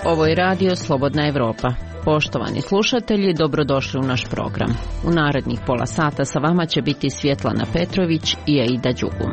Ovo je radio Slobodna Evropa. Poštovani slušatelji, dobrodošli u naš program. U narednih pola sata sa vama će biti Svjetlana Petrović i Aida Đugum.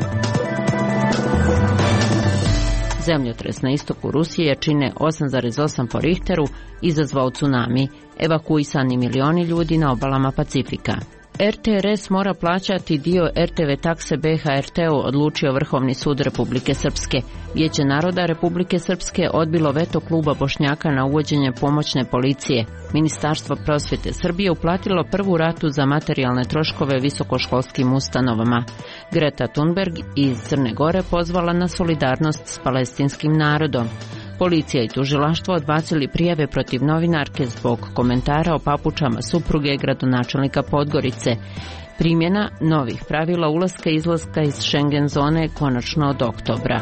Zemljotres na istoku Rusije jačine 8,8 po Richteru izazvao tsunami, evakuisani milioni ljudi na obalama Pacifika. RTRS mora plaćati dio RTV takse BHRT-u, odlučio Vrhovni sud Republike Srpske. Vijeće naroda Republike Srpske odbilo veto kluba Bošnjaka na uvođenje pomoćne policije. Ministarstvo prosvjete Srbije uplatilo prvu ratu za materijalne troškove visokoškolskim ustanovama. Greta Thunberg iz Crne Gore pozvala na solidarnost s palestinskim narodom. Policija i tužilaštvo odbacili prijave protiv novinarke zbog komentara o papučama supruge gradonačelnika Podgorice. Primjena novih pravila ulaska i izlaska iz Schengen zone konačno od oktobra.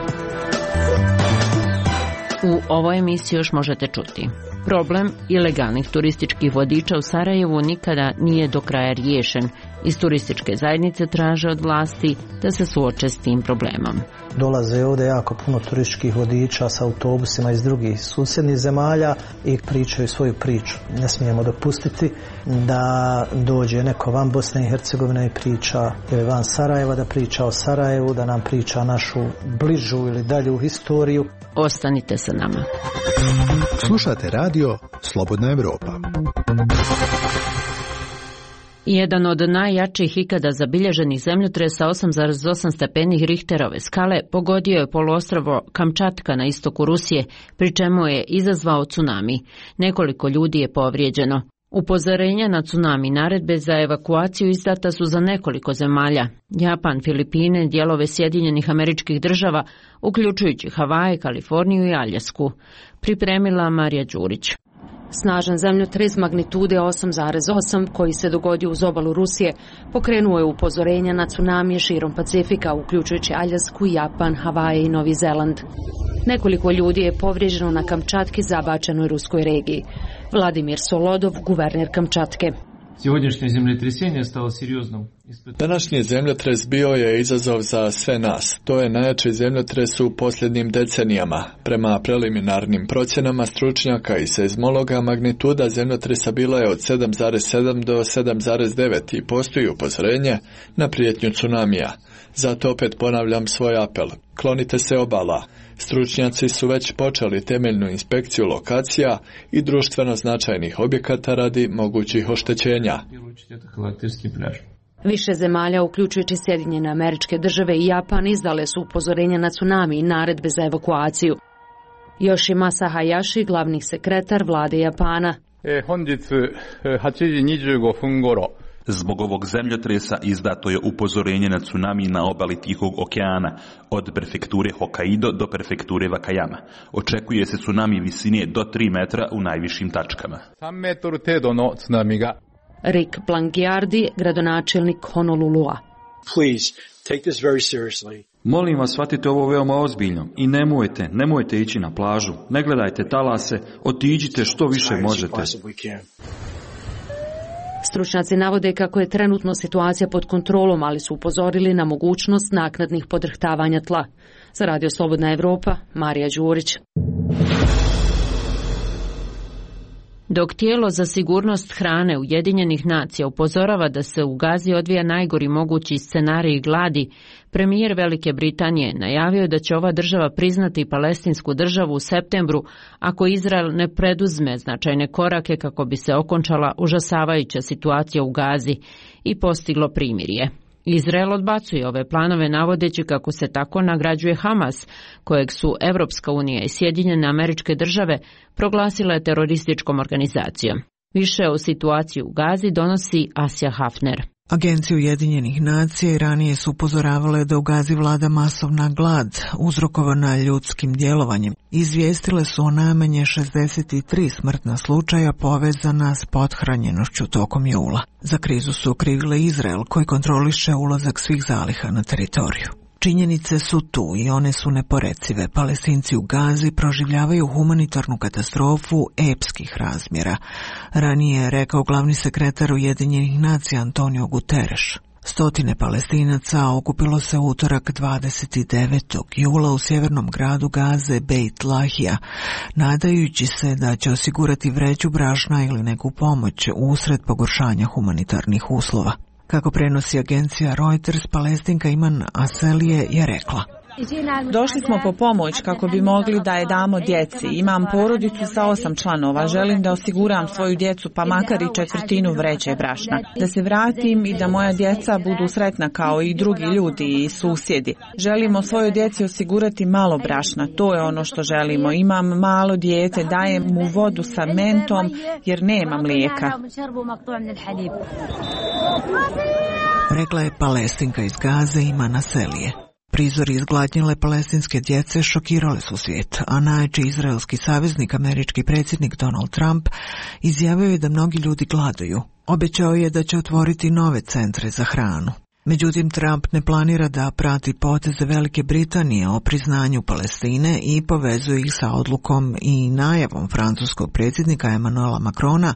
U ovoj emisiji još možete čuti. Problem ilegalnih turističkih vodiča u Sarajevu nikada nije do kraja riješen. Iz turističke zajednice traže od vlasti da se suoče s tim problemom. Dolaze ovdje jako puno turističkih vodiča sa autobusima iz drugih susjednih zemalja i pričaju svoju priču. Ne smijemo dopustiti da dođe neko van Bosne i Hercegovine i priča, ili van Sarajeva da priča o Sarajevu, da nam priča našu bližu ili dalju historiju. Ostanite sa nama. Slušate radio Slobodna Evropa. Jedan od najjačih ikada zabilježenih zemljotresa 8,8 stepeni Richterove skale pogodio je poluostrvo Kamčatka na istoku Rusije, pri čemu je izazvao tsunami. Nekoliko ljudi je povrijeđeno. Upozorenja na tsunami naredbe za evakuaciju izdata su za nekoliko zemalja: Japan, Filipine, dijelove Sjedinjenih Američkih Država, uključujući Havaje, Kaliforniju i Aljasku. Pripremila Marija Đurić. Snažan zemljotres magnitude 8,8 koji se dogodio uz obalu Rusije pokrenuo je upozorenja na tsunamije širom Pacifika, uključujući Aljasku, Japan, Havaje i Novi Zeland. Nekoliko ljudi je povrijeđeno na Kamčatki, zabačenoj ruskoj regiji. Vladimir Solodov, guverner Kamčatke. Današnji zemljotres bio je izazov za sve nas. To je najjači zemljotres u posljednjim decenijama. Prema preliminarnim procjenama stručnjaka i seizmologa, magnituda zemljotresa bila je od 7,7 do 7,9 i postoji upozorenje na prijetnju tsunamija. Zato opet ponavljam svoj apel. Klonite se obala. Stručnjaci su već počeli temeljnu inspekciju lokacija i društveno značajnih objekata radi mogućih oštećenja. Više zemalja, uključujući Sjedinjene Američke Države i Japan, izdale su upozorenja na tsunami i naredbe za evakuaciju. Yoshimasa Hayashi, glavni sekretar vlade Japana. Zbog ovog zemljotresa izdato je upozorenje na tsunami na obali Tihog okeana, od prefekture Hokkaido do prefekture Wakayama. Očekuje se tsunami visine do 3 metra u najvišim tačkama. Rick Blangiardi, gradonačelnik Honolulua. Molim vas, shvatite ovo veoma ozbiljno i nemojte ići na plažu. Ne gledajte talase, otiđite što više možete. Stručnjaci navode kako je trenutno situacija pod kontrolom, ali su upozorili na mogućnost naknadnih podrhtavanja tla. Za Radio Slobodna Evropa, Marija Đurić. Dok tijelo za sigurnost hrane Ujedinjenih nacija upozorava da se u Gazi odvija najgori mogući scenarij gladi, premijer Velike Britanije najavio da će ova država priznati palestinsku državu u septembru ako Izrael ne preduzme značajne korake kako bi se okončala užasavajuća situacija u Gazi i postiglo primirje. Izrael odbacuje ove planove navodeći kako se tako nagrađuje Hamas, kojeg su Evropska unija i Sjedinjene Američke Države proglasile terorističkom organizacijom. Više o situaciji u Gazi donosi Asja Hafner. Agencije Ujedinjenih nacija i ranije su upozoravale da u Gazi vlada masovna glad uzrokovana ljudskim djelovanjem. Izvijestile su o najmanje 63 smrtna slučaja povezana s pothranjenošću tokom jula. Za krizu su okrivile Izrael koji kontroliše ulazak svih zaliha na teritoriju. Činjenice su tu i one su neporecive. Palestinci u Gazi proživljavaju humanitarnu katastrofu epskih razmjera. Ranije je rekao glavni sekretar Ujedinjenih nacija Antonio Guterres. Stotine Palestinaca okupilo se utorak 29. jula u sjevernom gradu Gaze Beit Lahija, nadajući se da će osigurati vreću brašna ili neku pomoć usred pogoršanja humanitarnih uslova. Kako prenosi agencija Reuters, Palestinka Iman Aselije je rekla: Došli smo po pomoć kako bi mogli da je damo djeci. Imam porodicu sa 8 članova. Želim da osiguram svoju djecu pa makar i četvrtinu vreće brašna. Da se vratim i da moja djeca budu sretna kao i drugi ljudi i susjedi. Želimo svojoj djeci osigurati malo brašna. To je ono što želimo. Imam malo dijete, dajem mu vodu sa mentom jer nema mlijeka. Rekla je Palestinka iz Gaze Iman Aselije. Prizori izgladnjele palestinske djece šokirale su svijet, a najjači izraelski saveznik, američki predsjednik Donald Trump, izjavio je da mnogi ljudi gladuju. Obećao je da će otvoriti nove centre za hranu. Međutim, Trump ne planira da prati poteze Velike Britanije o priznanju Palestine i povezuje ih sa odlukom i najavom francuskog predsjednika Emmanuela Macrona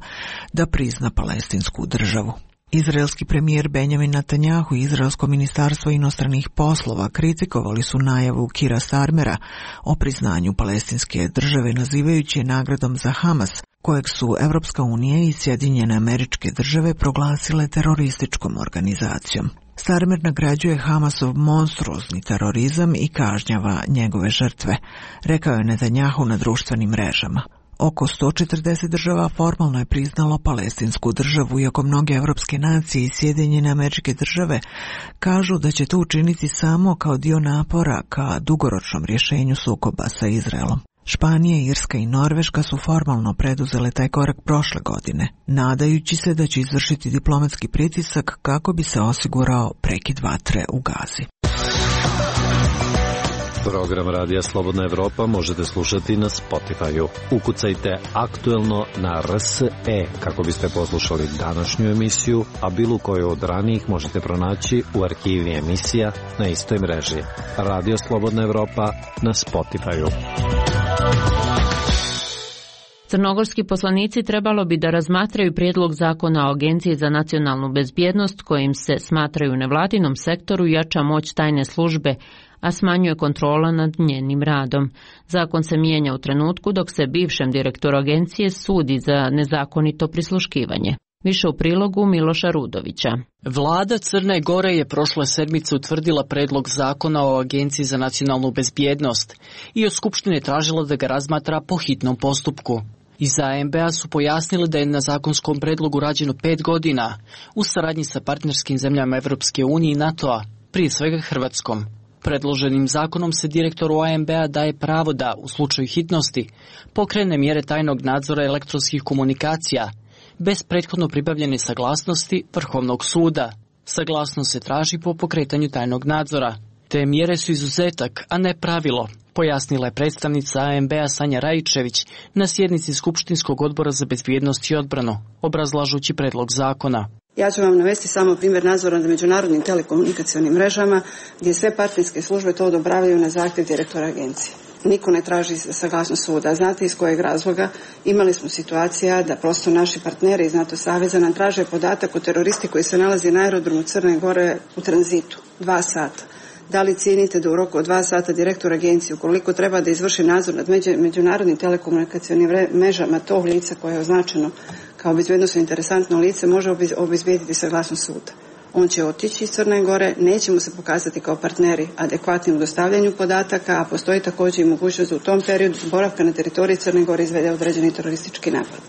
da prizna palestinsku državu. Izraelski premijer Benjamin Netanjahu i Izraelsko ministarstvo inostranih poslova kritikovali su najavu Kira Starmera o priznanju palestinske države, nazivajući je nagradom za Hamas, kojeg su Evropska unija i Sjedinjene Američke Države proglasile terorističkom organizacijom. Starmer nagrađuje Hamasov monstruozni terorizam i kažnjava njegove žrtve, rekao je Netanjahu na društvenim mrežama. Oko 140 država formalno je priznalo palestinsku državu, iako mnoge evropske nacije i Sjedinjene Američke Države kažu da će to učiniti samo kao dio napora ka dugoročnom rješenju sukoba sa Izraelom. Španija, Irska i Norveška su formalno preduzele taj korak prošle godine, nadajući se da će izvršiti diplomatski pritisak kako bi se osigurao prekid vatre u Gazi. Program Radija Slobodna Evropa možete slušati na Spotify-u. Ukucajte Aktuelno na RSE kako biste poslušali današnju emisiju, a bilo koju od ranijih možete pronaći u arhivi emisija na istoj mreži. Radio Slobodna Evropa na Spotify-u. Crnogorski poslanici trebalo bi da razmatraju prijedlog zakona o Agenciji za nacionalnu bezbjednost kojim se smatraju nevladinom sektoru jača moć tajne službe, a smanjuje kontrola nad njenim radom. Zakon se mijenja u trenutku dok se bivšem direktoru agencije sudi za nezakonito prisluškivanje. Više u prilogu Miloša Rudovića. Vlada Crne Gore je prošle sedmice utvrdila predlog zakona o Agenciji za nacionalnu bezbjednost i od Skupštine tražila da ga razmatra po hitnom postupku. Iz ANB-a su pojasnili da je na zakonskom predlogu rađeno 5 godina u saradnji sa partnerskim zemljama Evropske unije i NATO-a, prije svega Hrvatskom. Predloženim zakonom se direktoru ANB-a daje pravo da, u slučaju hitnosti, pokrene mjere tajnog nadzora elektronskih komunikacija, bez prethodno pribavljene saglasnosti Vrhovnog suda. Saglasnost se traži po pokretanju tajnog nadzora. Te mjere su izuzetak, a ne pravilo, pojasnila je predstavnica ANB-a Sanja Rajičević na sjednici Skupštinskog odbora za bezbjednost i odbranu, obrazlažući predlog zakona. Ja ću vam navesti samo primjer nadzora nad međunarodnim telekomunikacionim mrežama, gdje sve partnerske službe to odobravaju na zahtjev direktora agencije. Niko ne traži saglasnost suda. Znate iz kojeg razloga? Imali smo situacija da prosto naši partneri iz NATO saveza nam traže podatak o teroristi koji se nalazi na aerodromu Crne Gore u tranzitu. 2 sata. Da li cijenite da u roku od 2 sata direktor agencije, ukoliko treba da izvrši nadzor nad međunarodnim telekomunikacionim mrežama tog lica koje je označeno kao bezbjednosno interesantno lice, može obezbijediti saglasnost suda? On će otići iz Crne Gore, neće mu se pokazati kao partneri adekvatni u dostavljanju podataka, a postoji također i mogućnost da u tom periodu boravka na teritoriji Crne Gore izvede određeni teroristički napad.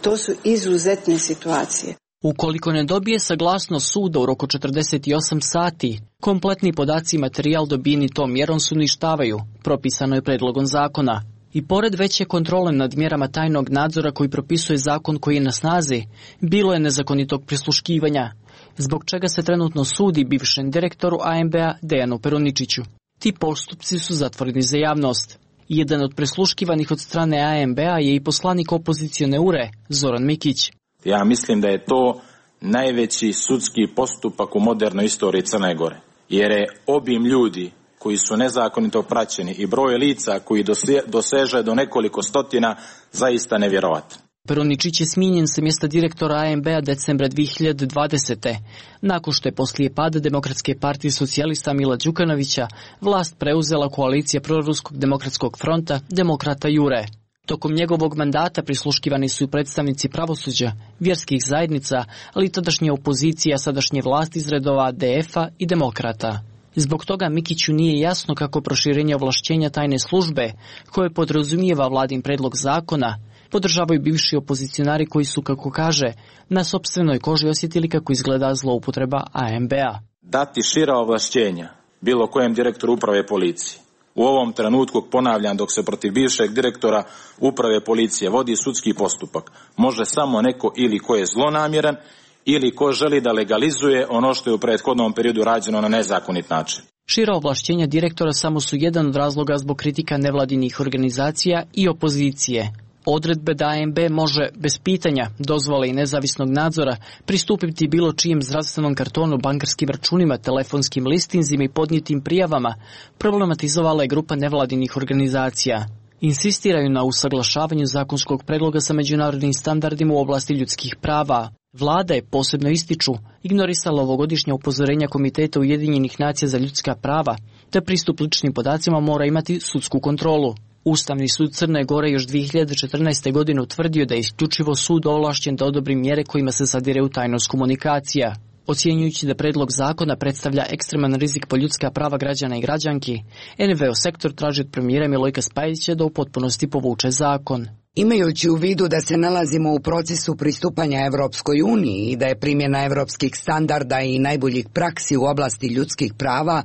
To su izuzetne situacije. Ukoliko ne dobije saglasnost suda u roku 48 sati, kompletni podaci i materijal dobijeni tom mjerom se uništavaju, propisano je predlogom zakona. I pored veće kontrole nad mjerama tajnog nadzora koji propisuje zakon koji je na snazi, bilo je nezakonitog prisluškivanja, zbog čega se trenutno sudi bivšem direktoru ANB-a Dejanu Peruničiću. Ti postupci su zatvoreni za javnost. Jedan od prisluškivanih od strane ANB-a je i poslanik opozicione URE, Zoran Mikić. Ja mislim da je to najveći sudski postupak u modernoj istoriji Crne Gore, jer je obim ljudi koji su nezakonito praćeni i broj lica koji doseže do nekoliko stotina zaista nevjerovatan. Peroničić je smijenjen sa mjesta direktora AMB-a decembra 2020. Nakon što je poslije pada Demokratske partije socijalista Mila Đukanovića vlast preuzela koalicija Proruskog demokratskog fronta Demokrata Jure. Tokom njegovog mandata prisluškivani su i predstavnici pravosuđa, vjerskih zajednica, ali i tadašnje opozicija, sadašnje vlasti iz redova DF-a i Demokrata. Zbog toga Mikiću nije jasno kako proširenje ovlašćenja tajne službe, koje podrazumijeva vladin predlog zakona, podržavaju bivši opozicionari koji su, kako kaže, na sopstvenoj koži osjetili kako izgleda zloupotreba AMB-a. Dati šira ovlašćenja bilo kojem direktoru uprave policije. U ovom trenutku, ponavljam, dok se protiv bivšeg direktora uprave policije vodi sudski postupak, može samo neko ili ko je zlonamjeran ili ko želi da legalizuje ono što je u prethodnom periodu rađeno na nezakonit način. Šira ovlašćenja direktora samo su jedan od razloga zbog kritika nevladinih organizacija i opozicije. Odredbe da AMB može bez pitanja, dozvole i nezavisnog nadzora pristupiti bilo čijem zdravstvenom kartonu, bankarskim računima, telefonskim listinzima i podnijetim prijavama problematizovala je grupa nevladinih organizacija. Insistiraju na usaglašavanju zakonskog predloga sa međunarodnim standardima u oblasti ljudskih prava. Vlada je, posebno ističu, ignorisala ovogodišnje upozorenja Komiteta Ujedinjenih nacija za ljudska prava, te pristup ličnim podacima mora imati sudsku kontrolu. Ustavni sud Crne Gore još 2014. godine utvrdio da je isključivo sud ovlašćen da odobri mjere kojima se zadire u tajnost komunikacija. Ocjenjujući da predlog zakona predstavlja ekstreman rizik po ljudska prava građana i građanki, NVO sektor traži od premijera Milojka Spajića da u potpunosti povuče zakon. Imajući u vidu da se nalazimo u procesu pristupanja Evropskoj uniji i da je primjena evropskih standarda i najboljih praksi u oblasti ljudskih prava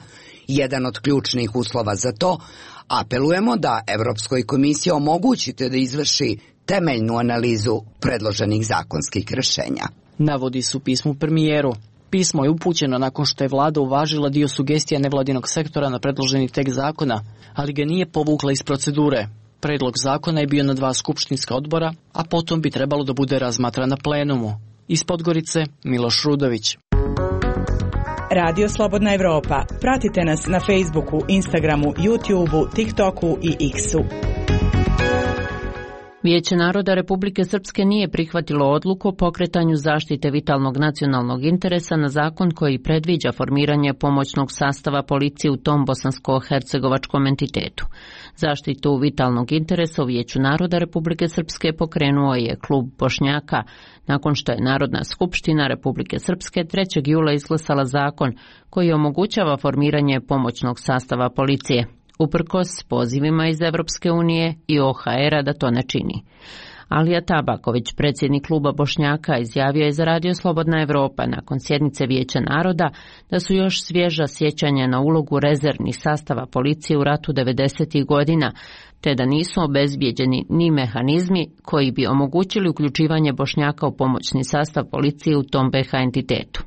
jedan od ključnih uslova za to, apelujemo da Evropskoj komisiji omogućite da izvrši temeljnu analizu predloženih zakonskih rješenja. Navodi su pismu premijeru. Pismo je upućeno nakon što je vlada uvažila dio sugestija nevladinog sektora na predloženi tekst zakona, ali ga nije povukla iz procedure. Predlog zakona je bio na 2 skupštinska odbora, a potom bi trebalo da bude razmatran na plenumu. Iz Podgorice, Miloš Rudović. Radio Slobodna Evropa. Pratite nas na Facebooku, Instagramu, YouTubeu, TikToku i X-u. Vijeće naroda Republike Srpske nije prihvatilo odluku o pokretanju zaštite vitalnog nacionalnog interesa na zakon koji predviđa formiranje pomoćnog sastava policije u tom bosansko-hercegovačkom entitetu. Zaštitu vitalnog interesa u Vijeću naroda Republike Srpske pokrenuo je klub Bošnjaka, nakon što je Narodna skupština Republike Srpske 3. jula izglasala zakon koji omogućava formiranje pomoćnog sastava policije, uprkos pozivima iz Evropske unije i OHR-a da to ne čini. Alija Tabaković, predsjednik kluba Bošnjaka, izjavio je za Radio Slobodna Evropa nakon sjednice Vijeća naroda da su još svježa sjećanja na ulogu rezervnih sastava policije u ratu 90. godina, te da nisu obezbijeđeni ni mehanizmi koji bi omogućili uključivanje Bošnjaka u pomoćni sastav policije u tom BiH entitetu.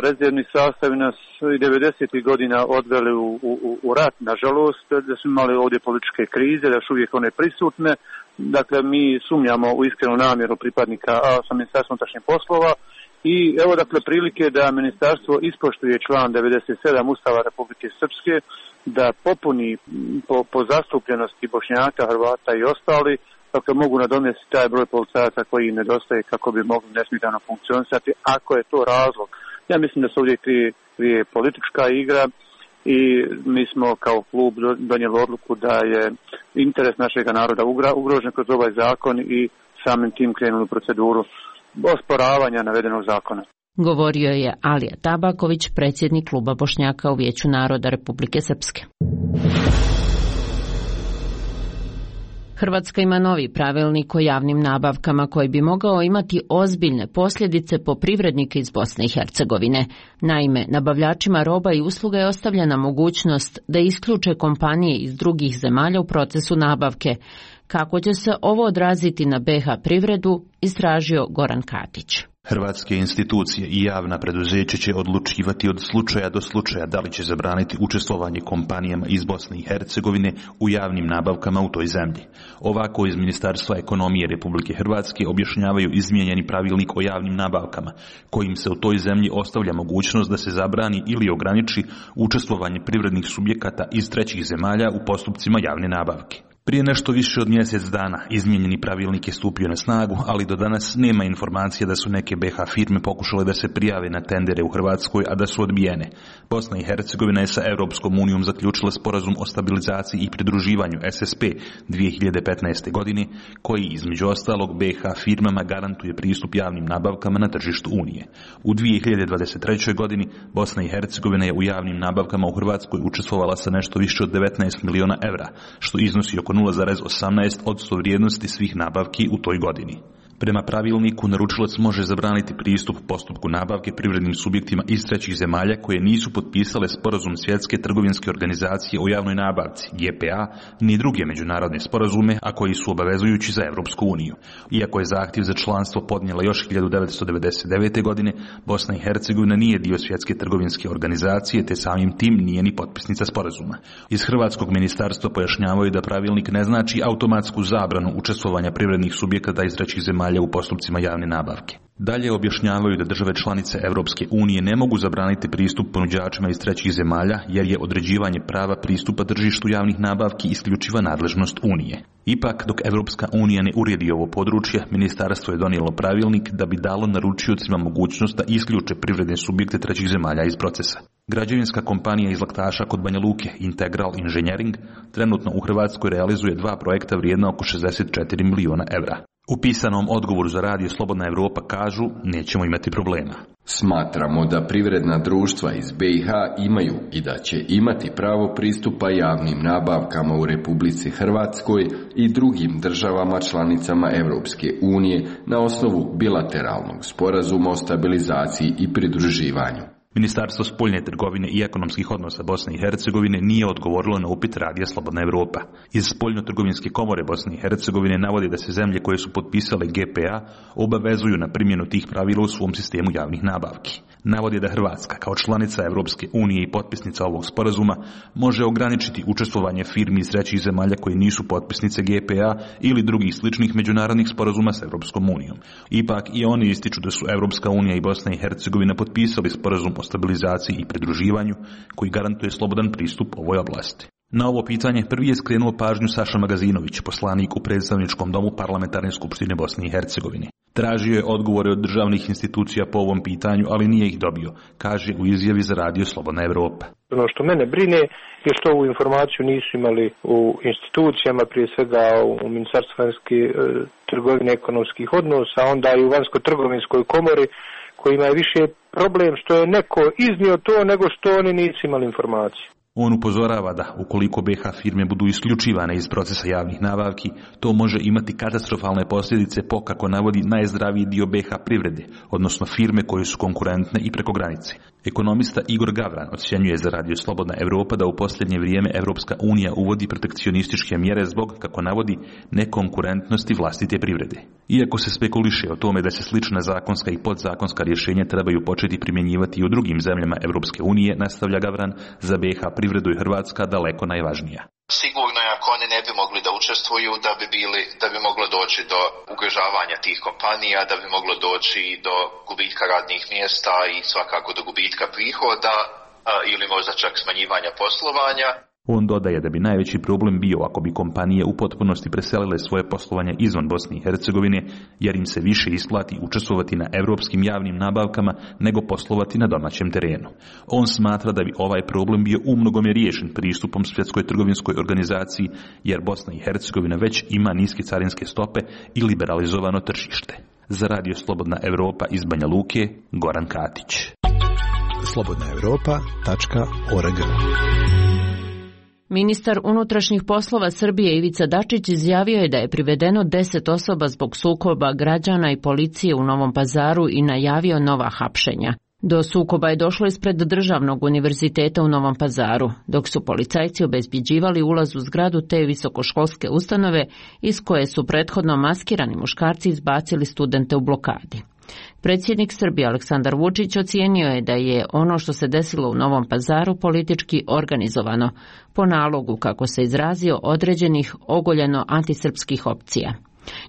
Rezervni sastavi nas i 90. godina odveli u rat, nažalost, da smo imali ovdje političke krize, da su uvijek one prisutne. Dakle, mi sumnjamo u iskrenu namjeru pripadnika sa Ministarstvom unutrašnjih poslova i evo dakle prilike da ministarstvo ispoštuje član 97 Ustava Republike Srpske, da popuni po zastupljenosti Bošnjaka, Hrvata i ostali, dakle mogu nadomjestiti taj broj policajaca koji im nedostaje kako bi mogli nesmetano funkcionisati, ako je to razlog. Ja mislim da se ovdje krije politička igra i mi smo kao klub donijeli odluku da je interes našeg naroda ugrožen kroz ovaj zakon i samim tim krenuli u proceduru osporavanja navedenog zakona. Govorio je Alija Tabaković, predsjednik kluba Bošnjaka u Vijeću naroda Republike Srpske. Hrvatska ima novi pravilnik o javnim nabavkama koji bi mogao imati ozbiljne posljedice po privrednike iz Bosne i Hercegovine. Naime, nabavljačima roba i usluga je ostavljena mogućnost da isključe kompanije iz drugih zemalja u procesu nabavke. Kako će se ovo odraziti na BiH privredu, istražio Goran Katić. Hrvatske institucije i javna preduzeća će odlučivati od slučaja do slučaja da li će zabraniti učestvovanje kompanijama iz Bosne i Hercegovine u javnim nabavkama u toj zemlji. Ovako iz Ministarstva ekonomije Republike Hrvatske objašnjavaju izmijenjeni pravilnik o javnim nabavkama, kojim se u toj zemlji ostavlja mogućnost da se zabrani ili ograniči učestvovanje privrednih subjekata iz trećih zemalja u postupcima javne nabavke. Prije nešto više od mjesec dana izmijenjeni pravilnik je stupio na snagu, ali do danas nema informacija da su neke BiH firme pokušale da se prijave na tendere u Hrvatskoj, a da su odbijene. Bosna i Hercegovina je sa Europskom unijom zaključila sporazum o stabilizaciji i pridruživanju SSP 2015. godine, koji između ostalog BiH firmama garantuje pristup javnim nabavkama na tržištu Unije. U 2023. godini Bosna i Hercegovina je u javnim nabavkama u Hrvatskoj učestvovala sa nešto više od 19 miliona evra, što iznosi oko 0,18% vrijednosti svih nabavki u toj godini. Prema pravilniku, naručilac može zabraniti pristup postupku nabavke privrednim subjektima iz trećih zemalja koje nisu potpisale sporazum Svjetske trgovinske organizacije o javnoj nabavci, GPA, ni druge međunarodne sporazume, a koji su obavezujući za Europsku uniju. Iako je zahtjev za članstvo podnijela još 1999. godine, Bosna i Hercegovina nije dio Svjetske trgovinske organizacije, te samim tim nije ni potpisnica sporazuma. Iz Hrvatskog ministarstva pojašnjavaju da pravilnik ne znači automatsku zabranu učestvovanja privrednih subjekata iz trećih zemalja u postupcima javne nabavke. Dalje objašnjavaju da države članice Europske unije ne mogu zabraniti pristup ponuđačima iz trećih zemalja, jer je određivanje prava pristupa tržištu javnih nabavki isključiva nadležnost Unije. Ipak, dok Europska unija ne uredi ovo područje, ministarstvo je donijelo pravilnik da bi dalo naručiocima mogućnost da isključe privredne subjekte trećih zemalja iz procesa. Građevinska kompanija iz Laktaša kod Banja Luke, Integral Engineering, trenutno u Hrvatskoj realizuje 2 projekta vrijedna oko 64 miliona evra. U pisanom odgovoru za Radio Slobodna Evropa kažu, nećemo imati problema. Smatramo da privredna društva iz BiH imaju i da će imati pravo pristupa javnim nabavkama u Republici Hrvatskoj i drugim državama članicama Europske unije na osnovu bilateralnog sporazuma o stabilizaciji i pridruživanju. Ministarstvo spoljne trgovine i ekonomskih odnosa Bosne i Hercegovine nije odgovorilo na upit Radija Slobodna Evropa. Iz Spoljno-trgovinske komore Bosne i Hercegovine navodi da se zemlje koje su potpisale GPA obavezuju na primjenu tih pravila u svom sistemu javnih nabavki. Navodi da Hrvatska, kao članica Europske unije i potpisnica ovog sporazuma, može ograničiti učestvovanje firmi iz trećih zemalja koje nisu potpisnice GPA ili drugih sličnih međunarodnih sporazuma s Europskom unijom. Ipak i oni ističu da su Europska unija i Bosna i Hercegovina potpisali sporazum o stabilizaciji i pridruživanju koji garantuje slobodan pristup ovoj oblasti. Na ovo pitanje prvi je skrenuo pažnju Saša Magazinović, poslanik u predstavničkom domu Parlamentarne skupštine Bosne i Hercegovine. Tražio je odgovore od državnih institucija po ovom pitanju, ali nije ih dobio, kaže u izjavi za Radio Slobodna Evropa. Ono što mene brine je što ovu informaciju nisu imali u institucijama, prije svega u Ministarstvu vanjske trgovine i ekonomskih odnosa, onda i u Vanjsko-trgovinskoj komori, kojima je više problem što je neko iznio to nego što oni nisu imali informaciju. On upozorava da, ukoliko BiH firme budu isključivane iz procesa javnih nabavki, to može imati katastrofalne posljedice po, kako navodi, najzdraviji dio BiH privrede, odnosno firme koje su konkurentne i preko granice. Ekonomista Igor Gavran ocjenjuje za Radio Slobodna Evropa da u posljednje vrijeme Europska unija uvodi protekcionističke mjere zbog, kako navodi, nekonkurentnosti vlastite privrede. Iako se spekuliše o tome da se slična zakonska i podzakonska rješenja trebaju početi primjenjivati i u drugim zemljama Europske unije, nastavlja Gavran, za BiH privredu je Hrvatska daleko najvažnija. Sigurno je ako oni ne bi mogli da učestvuju, da bi moglo doći do ugrožavanja tih kompanija, da bi moglo doći do gubitka radnih mjesta i svakako do gubitka prihoda ili možda čak smanjivanja poslovanja. On dodaje da bi najveći problem bio ako bi kompanije u potpunosti preselile svoje poslovanje izvan Bosne i Hercegovine, jer im se više isplati učestvovati na europskim javnim nabavkama nego poslovati na domaćem terenu. On smatra da bi ovaj problem bio umnogome riješen pristupom Svjetskoj trgovinskoj organizaciji, jer Bosna i Hercegovina već ima niske carinske stope i liberalizovano tržište. Za Radio Slobodna Evropa iz Banja Luke, Goran Katić. slobodnaevropa.org. Ministar unutrašnjih poslova Srbije Ivica Dačić izjavio je da je privedeno 10 osoba zbog sukoba građana i policije u Novom Pazaru i najavio nova hapšenja. Do sukoba je došlo ispred Državnog univerziteta u Novom Pazaru, dok su policajci obezbjeđivali ulaz u zgradu te visokoškolske ustanove iz koje su prethodno maskirani muškarci izbacili studente u blokadi. Predsjednik Srbije Aleksandar Vučić ocijenio je da je ono što se desilo u Novom Pazaru politički organizovano, po nalogu, kako se izrazio, određenih ogoljeno antisrpskih opcija.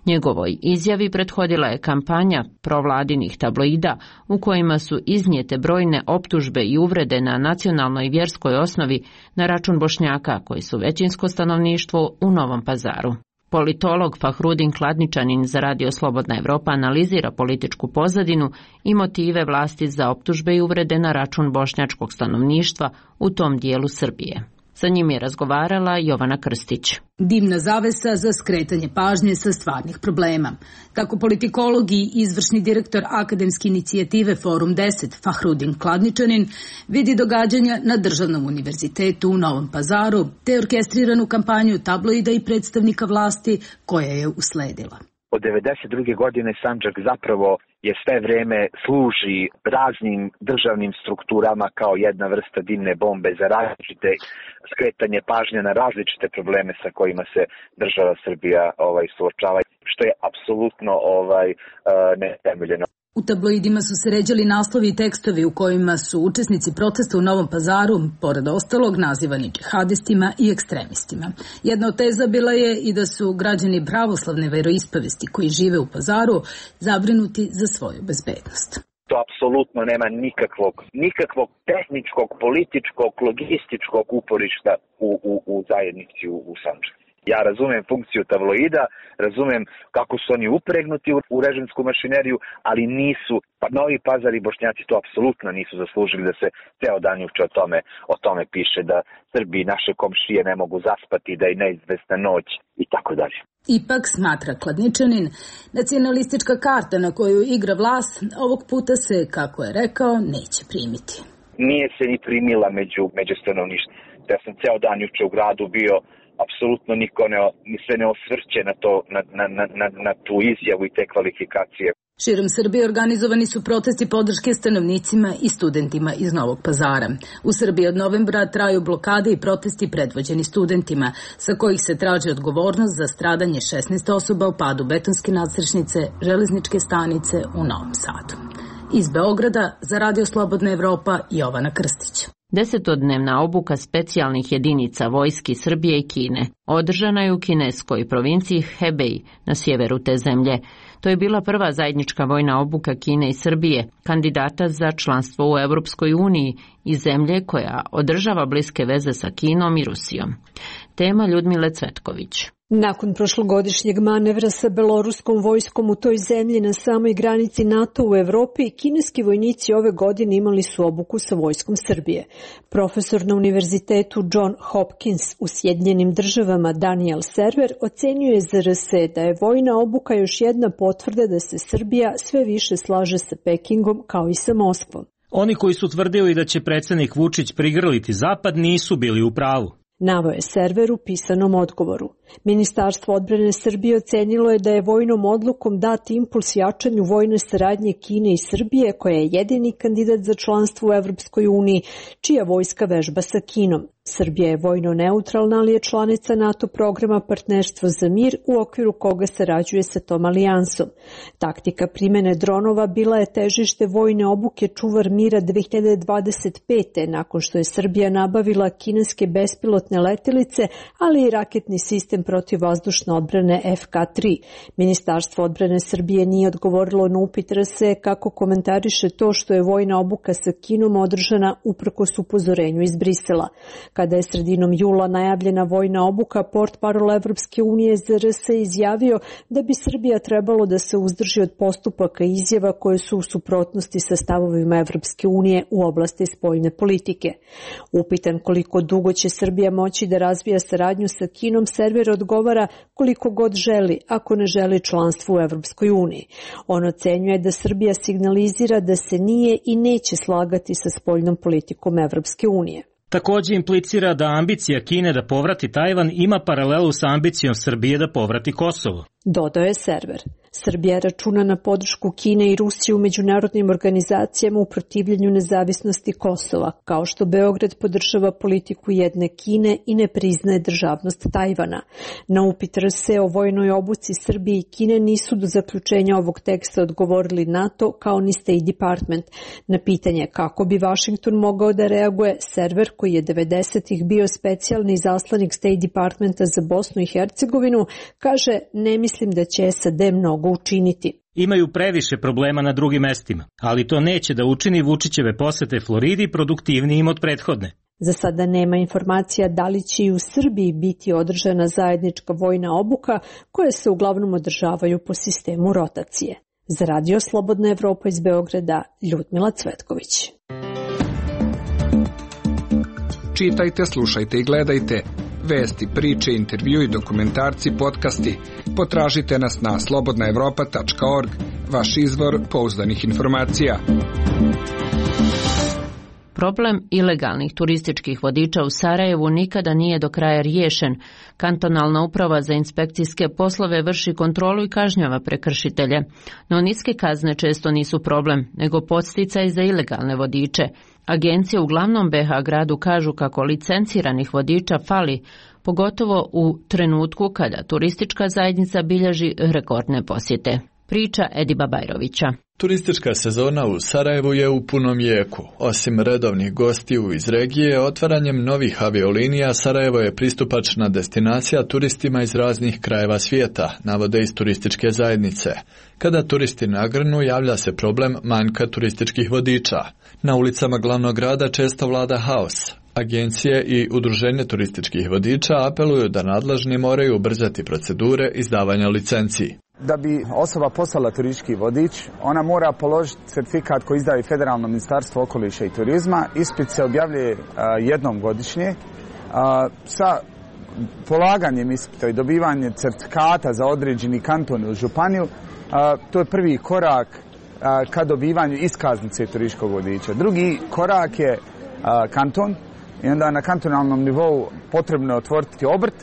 Njegovoj izjavi prethodila je kampanja provladinih tabloida u kojima su iznijete brojne optužbe i uvrede na nacionalnoj i vjerskoj osnovi na račun Bošnjaka koji su većinsko stanovništvo u Novom Pazaru. Politolog Fahrudin Kladničanin za Radio Slobodna Evropa analizira političku pozadinu i motive vlasti za optužbe i uvrede na račun bošnjačkog stanovništva u tom dijelu Srbije. Sa njim je razgovarala Jovana Krstić. Dimna zavesa za skretanje pažnje sa stvarnih problema. Tako politikolog i izvršni direktor akademske inicijative Forum 10 Fahrudin Kladničanin vidi događanja na Državnom univerzitetu u Novom Pazaru te orkestriranu kampanju tabloida i predstavnika vlasti koja je usledila. Od 1992. godine Sandžak zapravo je sve vreme služi raznim državnim strukturama kao jedna vrsta dimne bombe za različite skretanje pažnje na različite probleme sa kojima se država Srbija suočava, što je apsolutno netemeljeno. U tabloidima su se ređali naslovi i tekstovi u kojima su učesnici protesta u Novom Pazaru, pored ostalog, nazivani džihadistima i ekstremistima. Jedna od teza bila je i da su građani pravoslavne veroispovesti koji žive u Pazaru zabrinuti za svoju bezbednost. To apsolutno nema nikakvog tehničkog, političkog, logističkog uporišta u zajednici u Sandžaku. Ja razumem funkciju tabloida, razumem kako su oni upregnuti u režimsku mašineriju, ali nisu, Novi Pazar i Bošnjaci to apsolutno nisu zaslužili da se ceo dan juče o tome piše, da Srbi i naše komšije ne mogu zaspati, da je neizvesna noć i tako dalje. Ipak, smatra Kladničanin, nacionalistička karta na koju igra vlast ovog puta se, kako je rekao, neće primiti. Nije se ni primila među stanovništvom. Ja sam ceo dan juče u gradu bio, apsolutno niko se ne osvrće na tu izjavu i te kvalifikacije. Širom Srbije organizovani su protesti podrške stanovnicima i studentima iz Novog Pazara. U Srbiji od novembra traju blokade i protesti predvođeni studentima, sa kojih se traži odgovornost za stradanje 16 osoba u padu betonske nadstrešnice železničke stanice u Novom Sadu. Iz Beograda za Radio Slobodna Evropa, Jovana Krstić. 10-dnevna obuka specijalnih jedinica vojski Srbije i Kine održana je u kineskoj provinciji Hebei na sjeveru te zemlje. To je bila prva zajednička vojna obuka Kine i Srbije, kandidata za članstvo u Europskoj uniji i zemlje koja održava bliske veze sa Kinom i Rusijom. Tema Ljudmile Cvetković. Nakon prošlogodišnjeg manevra sa beloruskom vojskom u toj zemlji na samoj granici NATO u Evropi, kineski vojnici ove godine imali su obuku sa vojskom Srbije. Profesor na univerzitetu John Hopkins u Sjedinjenim Državama Daniel Server ocenjuje za RSE da je vojna obuka još jedna potvrda da se Srbija sve više slaže sa Pekingom kao i sa Moskvom. Oni koji su tvrdili da će predsjednik Vučić prigrliti Zapad nisu bili u pravu. Naveo je Server u pisanom odgovoru. Ministarstvo odbrane Srbije ocenilo je da je vojnom odlukom dat impuls jačanju vojne saradnje Kine i Srbije, koja je jedini kandidat za članstvo u Evropskoj uniji, čija vojska vežba sa Kinom. Srbija je vojno neutralna, ali je članica NATO programa Partnerstvo za mir, u okviru koga sarađuje sa tom alijansom. Taktika primjene dronova bila je težište vojne obuke Čuvar mira 2025. nakon što je Srbija nabavila kineske bespilotne letelice, ali i raketni sistem protivvazdušne odbrane FK-3. Ministarstvo odbrane Srbije nije odgovorilo na upit RSE kako komentariše to što je vojna obuka sa Kinom održana uprkos upozorenju iz Brisela. Kada je sredinom jula najavljena vojna obuka, portparol Evropske unije za RSE izjavio da bi Srbija trebalo da se uzdrži od postupaka i izjava koje su u suprotnosti sa stavovima Evropske unije u oblasti spoljne politike. Upitan koliko dugo će Srbija moći da razvija saradnju sa Kinom, Server odgovara koliko god želi, ako ne želi članstvo u Evropskoj uniji. On ocenjuje da Srbija signalizira da se nije i neće slagati sa spoljnom politikom Evropske unije. Također implicira da ambicija Kine da povrati Tajvan ima paralelu sa ambicijom Srbije da povrati Kosovo. Dodao je Server. Srbija računa na podršku Kine i Rusije u međunarodnim organizacijama u protivljenju nezavisnosti Kosova, kao što Beograd podržava politiku jedne Kine i ne priznaje državnost Tajvana. Na upit RSE o vojnoj obuci Srbije i Kine nisu do zaključenja ovog teksta odgovorili NATO kao ni State Department. Na pitanje kako bi Washington mogao da reaguje, Server, koji je 90-ih bio specijalni izaslanik State Departmenta za Bosnu i Hercegovinu, kaže ne misli mislim da će SAD mnogo učiniti. Imaju previše problema na drugim mestima, ali to neće da učini Vučićeve posete Floridi produktivnijim od prethodne. Za sada nema informacija da li će i u Srbiji biti održana zajednička vojna obuka koje se uglavnom održavaju po sistemu rotacije. Za Radio Slobodna Evropa iz Beograda, Ljudmila Cvetković. Čitajte, slušajte i gledajte. Vesti, priče, intervju i dokumentarci, podcasti. Potražite nas na slobodnaevropa.org, vaš izvor pouzdanih informacija. Problem ilegalnih turističkih vodiča u Sarajevu nikada nije do kraja riješen. Kantonalna uprava za inspekcijske poslove vrši kontrolu i kažnjava prekršitelje. No niske kazne često nisu problem, nego podsticaj za ilegalne vodiče. Agencije u glavnom BH gradu kažu kako licenciranih vodiča fali, pogotovo u trenutku kada turistička zajednica bilježi rekordne posjete. Priča Ediba Bajrovića. Turistička sezona u Sarajevu je u punom jeku. Osim redovnih gostiju iz regije, otvaranjem novih aviolinija Sarajevo je pristupačna destinacija turistima iz raznih krajeva svijeta, navode iz turističke zajednice. Kada turisti nagrnu, javlja se problem manjka turističkih vodiča. Na ulicama glavnog grada često vlada haos. Agencije i udruženje turističkih vodiča apeluju da nadležni moraju ubrzati procedure izdavanja licenciji. Da bi osoba postala turistički vodič, ona mora položiti certifikat koji izdaje Federalno ministarstvo okoliša i turizma. Ispit se objavljuje jednom godišnje. Sa polaganjem ispita i dobivanjem certifikata za određeni kanton ili županiju, to je prvi korak ka dobivanju iskaznice turističkog vodiča. Drugi korak je kanton i onda na kantonalnom nivou potrebno je otvoriti obrt.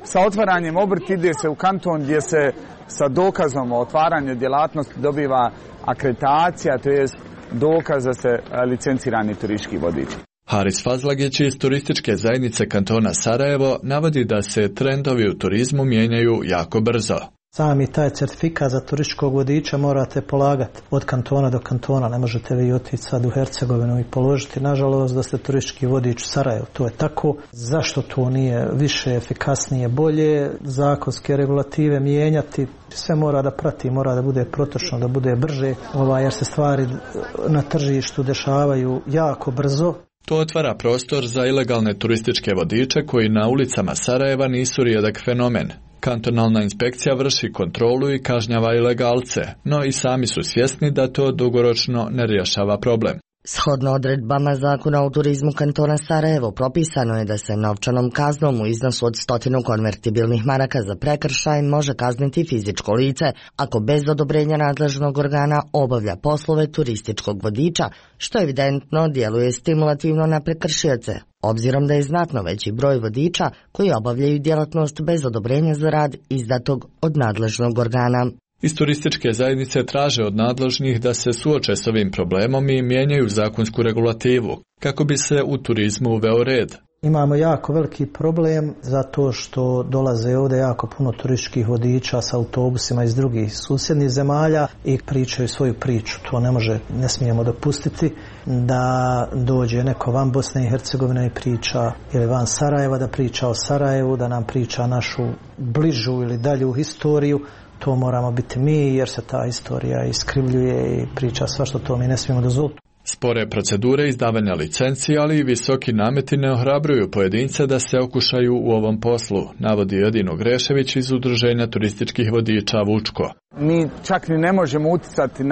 Sa otvaranjem obrta ide se u kanton gdje se sa dokazom o otvaranju djelatnosti dobiva akreditacija, to je dokaz da se licencirani turistički vodič. Haris Fazlagić iz turističke zajednice kantona Sarajevo navodi da se trendovi u turizmu mijenjaju jako brzo. Sami taj certifikat za turističkog vodiča morate polagati od kantona do kantona. Ne možete vi otići sad u Hercegovinu i položiti. Nažalost da ste turistički vodič u Sarajevu. To je tako. Zašto to nije više, efikasnije, bolje? Zakonske regulative mijenjati. Sve mora da prati, mora da bude protočno, da bude brže. Jer se stvari na tržištu dešavaju jako brzo. To otvara prostor za ilegalne turističke vodiče koji na ulicama Sarajeva nisu rijedak fenomen. Kantonalna inspekcija vrši kontrolu i kažnjava ilegalce, no i sami su svjesni da to dugoročno ne rješava problem. Shodno odredbama Zakona o turizmu kantona Sarajevo propisano je da se novčanom kaznom u iznosu od 100 konvertibilnih maraka za prekršaj može kazniti fizičko lice ako bez odobrenja nadležnog organa obavlja poslove turističkog vodiča, što evidentno djeluje stimulativno na prekršioce, obzirom da je znatno veći broj vodiča koji obavljaju djelatnost bez odobrenja za rad izdatog od nadležnog organa. Iz turističke zajednice traže od nadležnih da se suoče s ovim problemom i mijenjaju zakonsku regulativu, kako bi se u turizmu uveo red. Imamo jako veliki problem zato što dolaze ovdje jako puno turističkih vodiča sa autobusima iz drugih susjednih zemalja i pričaju svoju priču. To ne smijemo dopustiti da dođe neko van Bosne i Hercegovine i priča, ili van Sarajeva da priča o Sarajevu, da nam priča našu bližu ili dalju historiju. To moramo biti mi jer se ta istorija iskrivljuje i priča sva što to mi ne smijemo dozvoliti. Spore procedure izdavanja licenci, ali i visoki nameti ne ohrabruju pojedince da se okušaju u ovom poslu, navodi Edino Grešević iz Udruženja turističkih vodiča Vučko. Mi čak ni ne možemo utjecati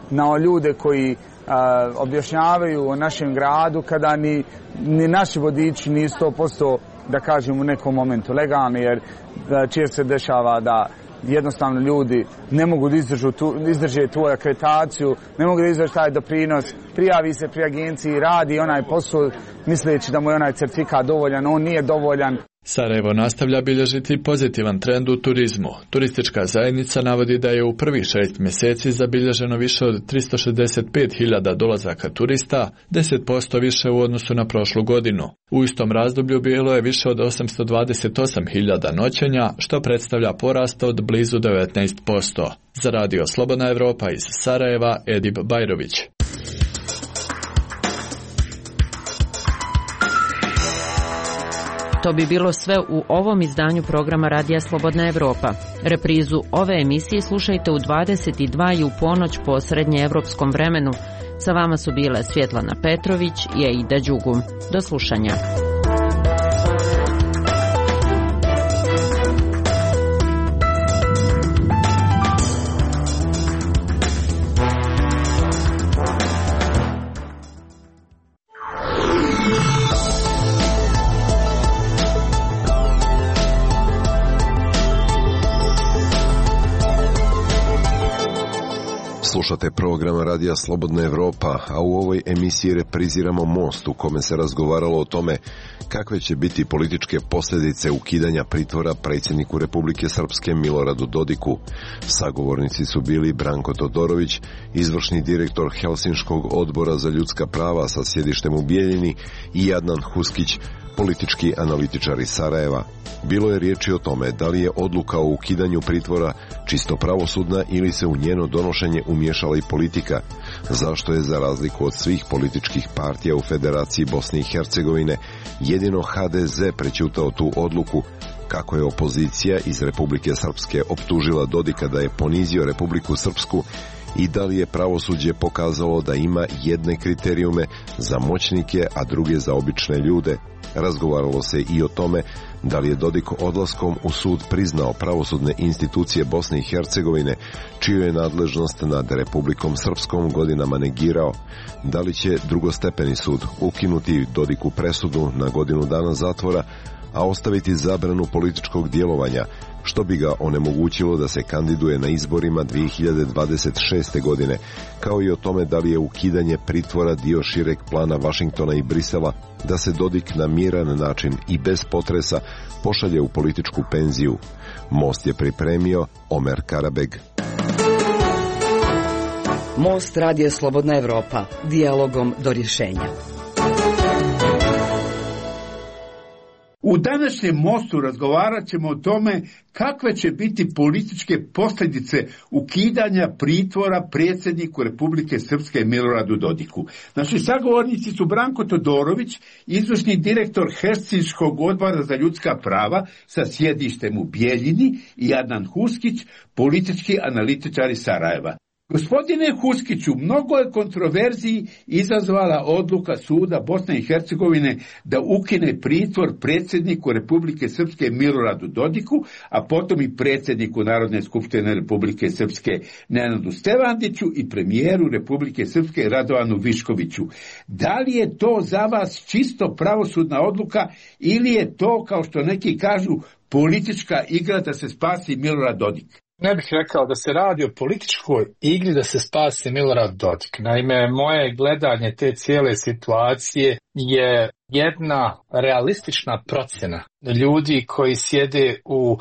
na ljude koji objašnjavaju o našem gradu kada ni naši vodiči nisu 100%, da kažem, u nekom momentu legalni, jer često se dešava da jednostavno ljudi ne mogu da izdrže tu akreditaciju, ne mogu da izdrže taj doprinos, prijavi se pri agenciji, radi onaj posao misleći da mu je onaj certifikat dovoljan, on nije dovoljan. Sarajevo nastavlja bilježiti pozitivan trend u turizmu. Turistička zajednica navodi da je u prvih 6 mjeseci zabilježeno više od 365.000 dolazaka turista, 10% više u odnosu na prošlu godinu. U istom razdoblju bilo je više od 828.000 noćenja, što predstavlja porast od blizu 19%. Za Radio Slobodna Evropa iz Sarajeva, Edib Bajrović. To bi bilo sve u ovom izdanju programa Radija Slobodna Evropa. Reprizu ove emisije slušajte u 22 i u ponoć po srednjeevropskom vremenu. Sa vama su bile Svjetlana Petrović i Aida Đugum. Do slušanja. Slušate program Radija Slobodna Evropa, a u ovoj emisiji repriziramo Most u kome se razgovaralo o tome kakve će biti političke posljedice ukidanja pritvora predsjedniku Republike Srpske Miloradu Dodiku. Sagovornici su bili Branko Todorović, izvršni direktor Helsinškog odbora za ljudska prava sa sjedištem u Bijeljini, i Adnan Huskić, politički analitičar iz Sarajeva. Bilo je riječi o tome da li je odluka o ukidanju pritvora čisto pravosudna ili se u njeno donošenje umiješala i politika. Zašto je, za razliku od svih političkih partija u Federaciji Bosne i Hercegovine, jedino HDZ prećutao tu odluku, kako je opozicija iz Republike Srpske optužila Dodika da je ponizio Republiku Srpsku i da li je pravosuđe pokazalo da ima jedne kriterijume za moćnike, a druge za obične ljude. Razgovaralo se i o tome da li je Dodik odlaskom u sud priznao pravosudne institucije Bosne i Hercegovine, čiju je nadležnost nad Republikom Srpskom godinama negirao. Da li će drugostepeni sud ukinuti Dodiku presudu na godinu dana zatvora, a ostaviti zabranu političkog djelovanja, što bi ga onemogućilo da se kandiduje na izborima 2026. godine, kao i o tome da li je ukidanje pritvora dio šireg plana Vašingtona i Brisela da se Dodik na miran način i bez potresa pošalje u političku penziju. Most je pripremio Omer Karabeg. Most Radio Slobodna Evropa, dijalogom do rješenja. U današnjem Mostu razgovarat ćemo o tome kakve će biti političke posljedice ukidanja pritvora predsjedniku Republike Srpske Miloradu Dodiku. Naši sagovornici su Branko Todorović, izvršni direktor Helsinškog odbora za ljudska prava sa sjedištem u Bijeljini, i Adnan Huskić, politički analitičar iz Sarajeva. Gospodine Huskiću, mnogo je kontroverziji izazvala odluka suda Bosne i Hercegovine da ukine pritvor predsjedniku Republike Srpske Miloradu Dodiku, a potom i predsjedniku Narodne skupštine Republike Srpske Nenadu Stevandiću i premijeru Republike Srpske Radovanu Viškoviću. Da li je to za vas čisto pravosudna odluka ili je to, kao što neki kažu, politička igra da se spasi Milorad Dodik? Ne bih rekao da se radi o političkoj igri da se spasi Milorad Dodik. Naime, moje gledanje te cijele situacije je jedna realistična procjena ljudi koji sjede u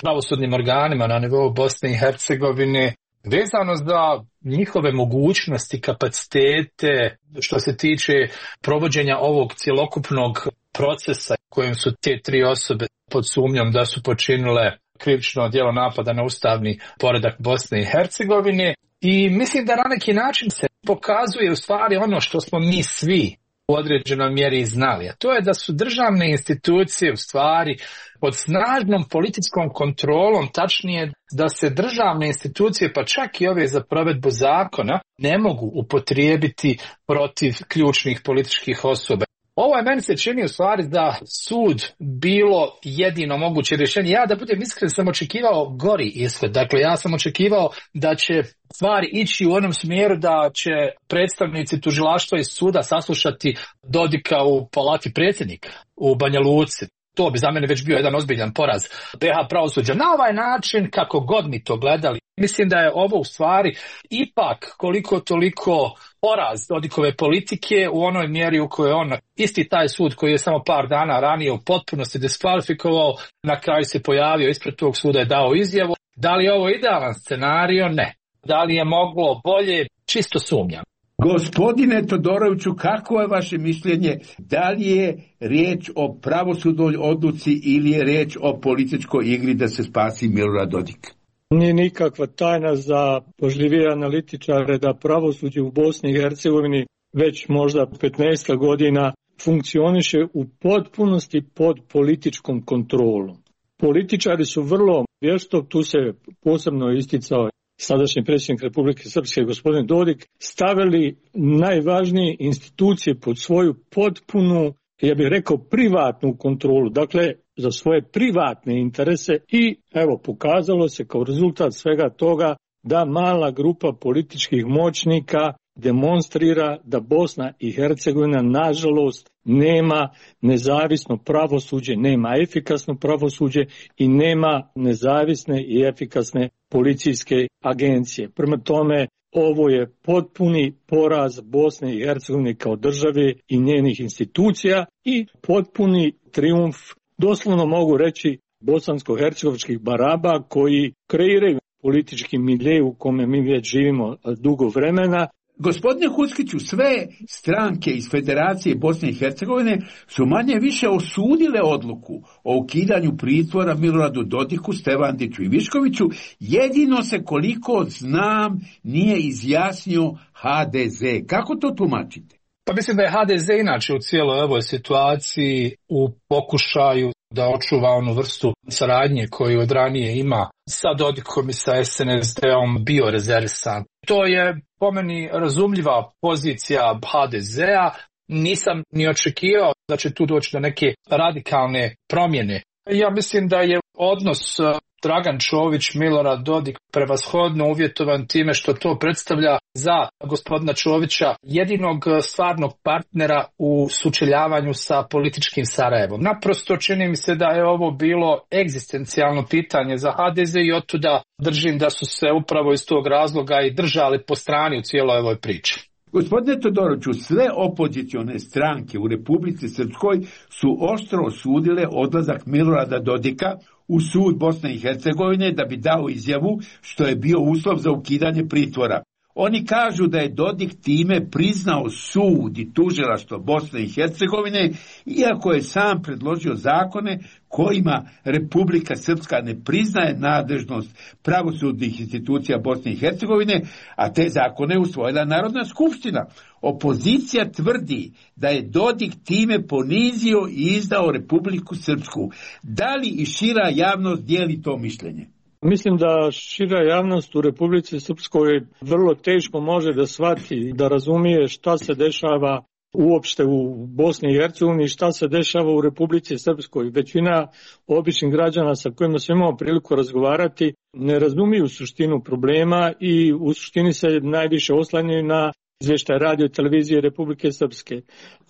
pravosudnim organima na nivou Bosne i Hercegovine, vezano za njihove mogućnosti, kapacitete, što se tiče provođenja ovog cjelokupnog procesa kojim su te tri osobe pod sumnjom da su počinile krivično djelo napada na ustavni poredak Bosne i Hercegovine, i mislim da na neki način se pokazuje u stvari ono što smo mi svi u određenoj mjeri znali, a to je da su državne institucije u stvari pod snažnom političkom kontrolom, tačnije da se državne institucije, pa čak i ove za provedbu zakona, ne mogu upotrijebiti protiv ključnih političkih osoba. Ovo je, meni se čini u stvari da sud bilo jedino moguće rješenje. Ja, da budem iskren, sam očekivao gori ishod. Dakle, ja sam očekivao da će stvari ići u onom smjeru da će predstavnici tužilaštva i suda saslušati Dodika u palati predsjednika u Banja Luci. To bi za mene već bio jedan ozbiljan poraz BiH pravosuđa. Na ovaj način, kako god mi to gledali, mislim da je ovo u stvari ipak koliko toliko poraz Dodikove politike u onoj mjeri u kojoj on, isti taj sud koji je samo par dana ranije u potpunosti diskvalifikovao, na kraju se pojavio ispred tog suda, je dao izjavu. Da li je ovo idealan scenario? Ne. Da li je moglo bolje? Čisto sumnjam. Gospodine Todoroviću, kako je vaše mišljenje? Da li je riječ o pravosudnoj odluci ili je riječ o političkoj igri da se spasi Milorad Dodik? Nije nikakva tajna za pažljivije analitičare da pravosuđe u Bosni i Hercegovini već možda 15 godina funkcioniše u potpunosti pod političkom kontrolom. Političari su vrlo vješto, tu se posebno isticao sadašnji predsjednik Republike Srpske gospodin Dodik, stavili najvažnije institucije pod svoju potpunu, ja bih rekao, privatnu kontrolu, dakle za svoje privatne interese i evo pokazalo se kao rezultat svega toga da mala grupa političkih moćnika demonstrira da Bosna i Hercegovina nažalost nema nezavisno pravosuđe, nema efikasno pravosuđe i nema nezavisne i efikasne policijske agencije. Prema tome, ovo je potpuni poraz Bosne i Hercegovine kao države i njenih institucija i potpuni trijumf, doslovno mogu reći, bosansko-hercegovačkih baraba koji kreiraju politički milje u kome mi već živimo dugo vremena. Gospodine Huskiću, sve stranke iz Federacije Bosne i Hercegovine su manje više osudile odluku o ukidanju pritvora Miloradu Dodiku, Stevandiću i Viškoviću, jedino se koliko znam nije izjasnio HDZ. Kako to tumačite? Pa mislim da je HDZ inače u cijeloj ovoj situaciji u pokušaju da očuva onu vrstu saradnje koju od ranije ima sa Dodikom i sa SNSD-om bio rezervisan. To je po meni razumljiva pozicija HDZ-a. Nisam ni očekivao da će tu doći do neke radikalne promjene. Ja mislim da je odnos Dragan Čović, Milorad Dodik prevashodno uvjetovan time što to predstavlja za gospodina Čovića jedinog stvarnog partnera u sučeljavanju sa političkim Sarajevom. Naprosto čini mi se da je ovo bilo egzistencijalno pitanje za HDZ i otuda držim da su se upravo iz tog razloga i držali po strani u cijeloj ovoj priči. Gospodine Todoroviću, sve opozicione stranke u Republici Srpskoj su oštro osudile odlazak Milorada Dodika u sud Bosne i Hercegovine da bi dao izjavu što je bio uslov za ukidanje pritvora. Oni kažu da je Dodik time priznao sud i tužilaštvo Bosne i Hercegovine, iako je sam predložio zakone kojima Republika Srpska ne priznaje nadležnost pravosudnih institucija Bosne i Hercegovine, a te zakone je usvojila Narodna skupština. Opozicija tvrdi da je Dodik time ponizio i izdao Republiku Srpsku. Da li i šira javnost dijeli to mišljenje? Mislim da šira javnost u Republici Srpskoj vrlo teško može da shvati, da razumije šta se dešava uopšte u Bosni i Hercegovini, šta se dešava u Republici Srpskoj. Većina običnih građana sa kojima smo imali priliku razgovarati ne razumiju suštinu problema i u suštini se najviše oslanjaju na izvještaj radio i televizije Republike Srpske.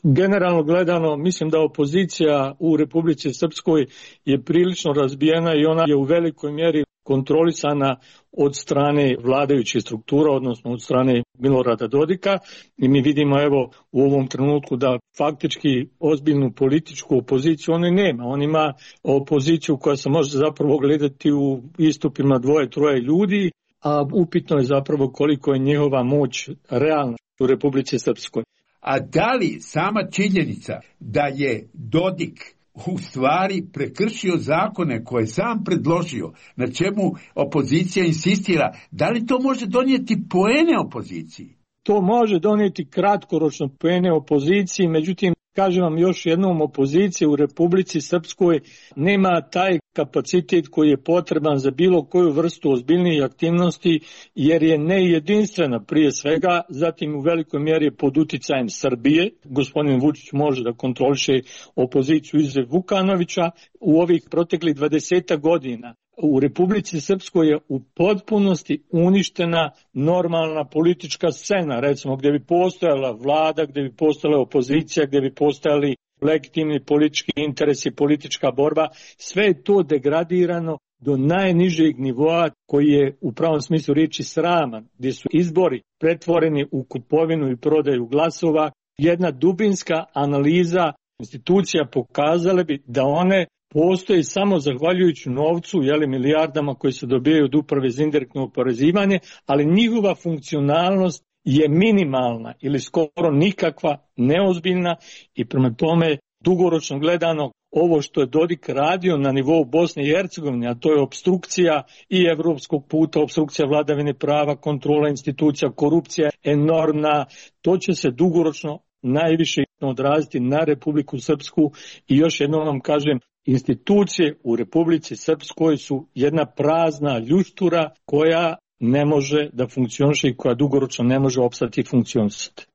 Generalno gledano, mislim da opozicija u Republici Srpskoj je prilično razbijena i ona je u velikoj mjeri kontrolisana od strane vladajućih struktura, odnosno od strane Milorada Dodika. I mi vidimo evo u ovom trenutku da faktički ozbiljnu političku opoziciju on nema. On ima opoziciju koja se može zapravo gledati u istupima 2-3 ljudi, a upitno je zapravo koliko je njihova moć realna u Republici Srpskoj. A da li sama činjenica da je Dodik u stvari prekršio zakone koje sam predložio, na čemu opozicija insistira, da li to može donijeti poene opoziciji? To može donijeti kratkoročno poene opoziciji, međutim, kažem vam još jednom, opozicija u Republici Srpskoj nema taj kapacitet koji je potreban za bilo koju vrstu ozbiljnijih aktivnosti, jer je nejedinstvena prije svega, zatim u velikoj mjeri pod uticajem Srbije. Gospodin Vučić može da kontroliše opoziciju izuzev Vukanovića. U ovih proteklih 20 godina u Republici Srpskoj je u potpunosti uništena normalna politička scena, recimo gdje bi postojala vlada, gdje bi postojala opozicija, gdje bi postojali legitimni politički interesi, politička borba. Sve je to degradirano do najnižeg nivoa koji je u pravom smislu riječi sraman, gdje su izbori pretvoreni u kupovinu i prodaju glasova. Jedna dubinska analiza institucija pokazale bi da one postoji samo zahvaljujući novcu, milijardama koji se dobijaju od uprave za indirektno oporezivanje, ali njihova funkcionalnost je minimalna ili skoro nikakva, neozbiljna i prema tome dugoročno gledano ovo što je Dodik radio na nivou Bosne i Hercegovine, a to je opstrukcija i evropskog puta, opstrukcija vladavine prava, kontrola institucija, korupcija enormna, to će se dugoročno najviše negativno odraziti na Republiku Srpsku i još jednom vam kažem, institucije u Republici Srpskoj su jedna prazna ljuštura koja ne može da funkcioniše i koja dugoročno ne može opstati i funkcionisati.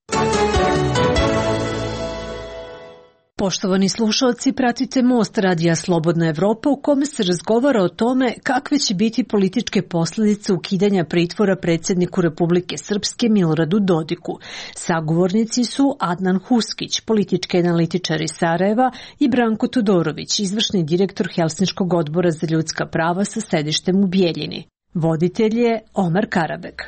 Poštovani slušalci, pratite Most radija Slobodna Evropa u kome se razgovara o tome kakve će biti političke posljedice ukidanja pritvora predsjedniku Republike Srpske Miloradu Dodiku. Sagovornici su Adnan Huskić, politički analitičar iz Sarajeva, i Branko Todorović, izvršni direktor Helsinškog odbora za ljudska prava sa sedištem u Bijeljini. Voditelj je Omar Karabek.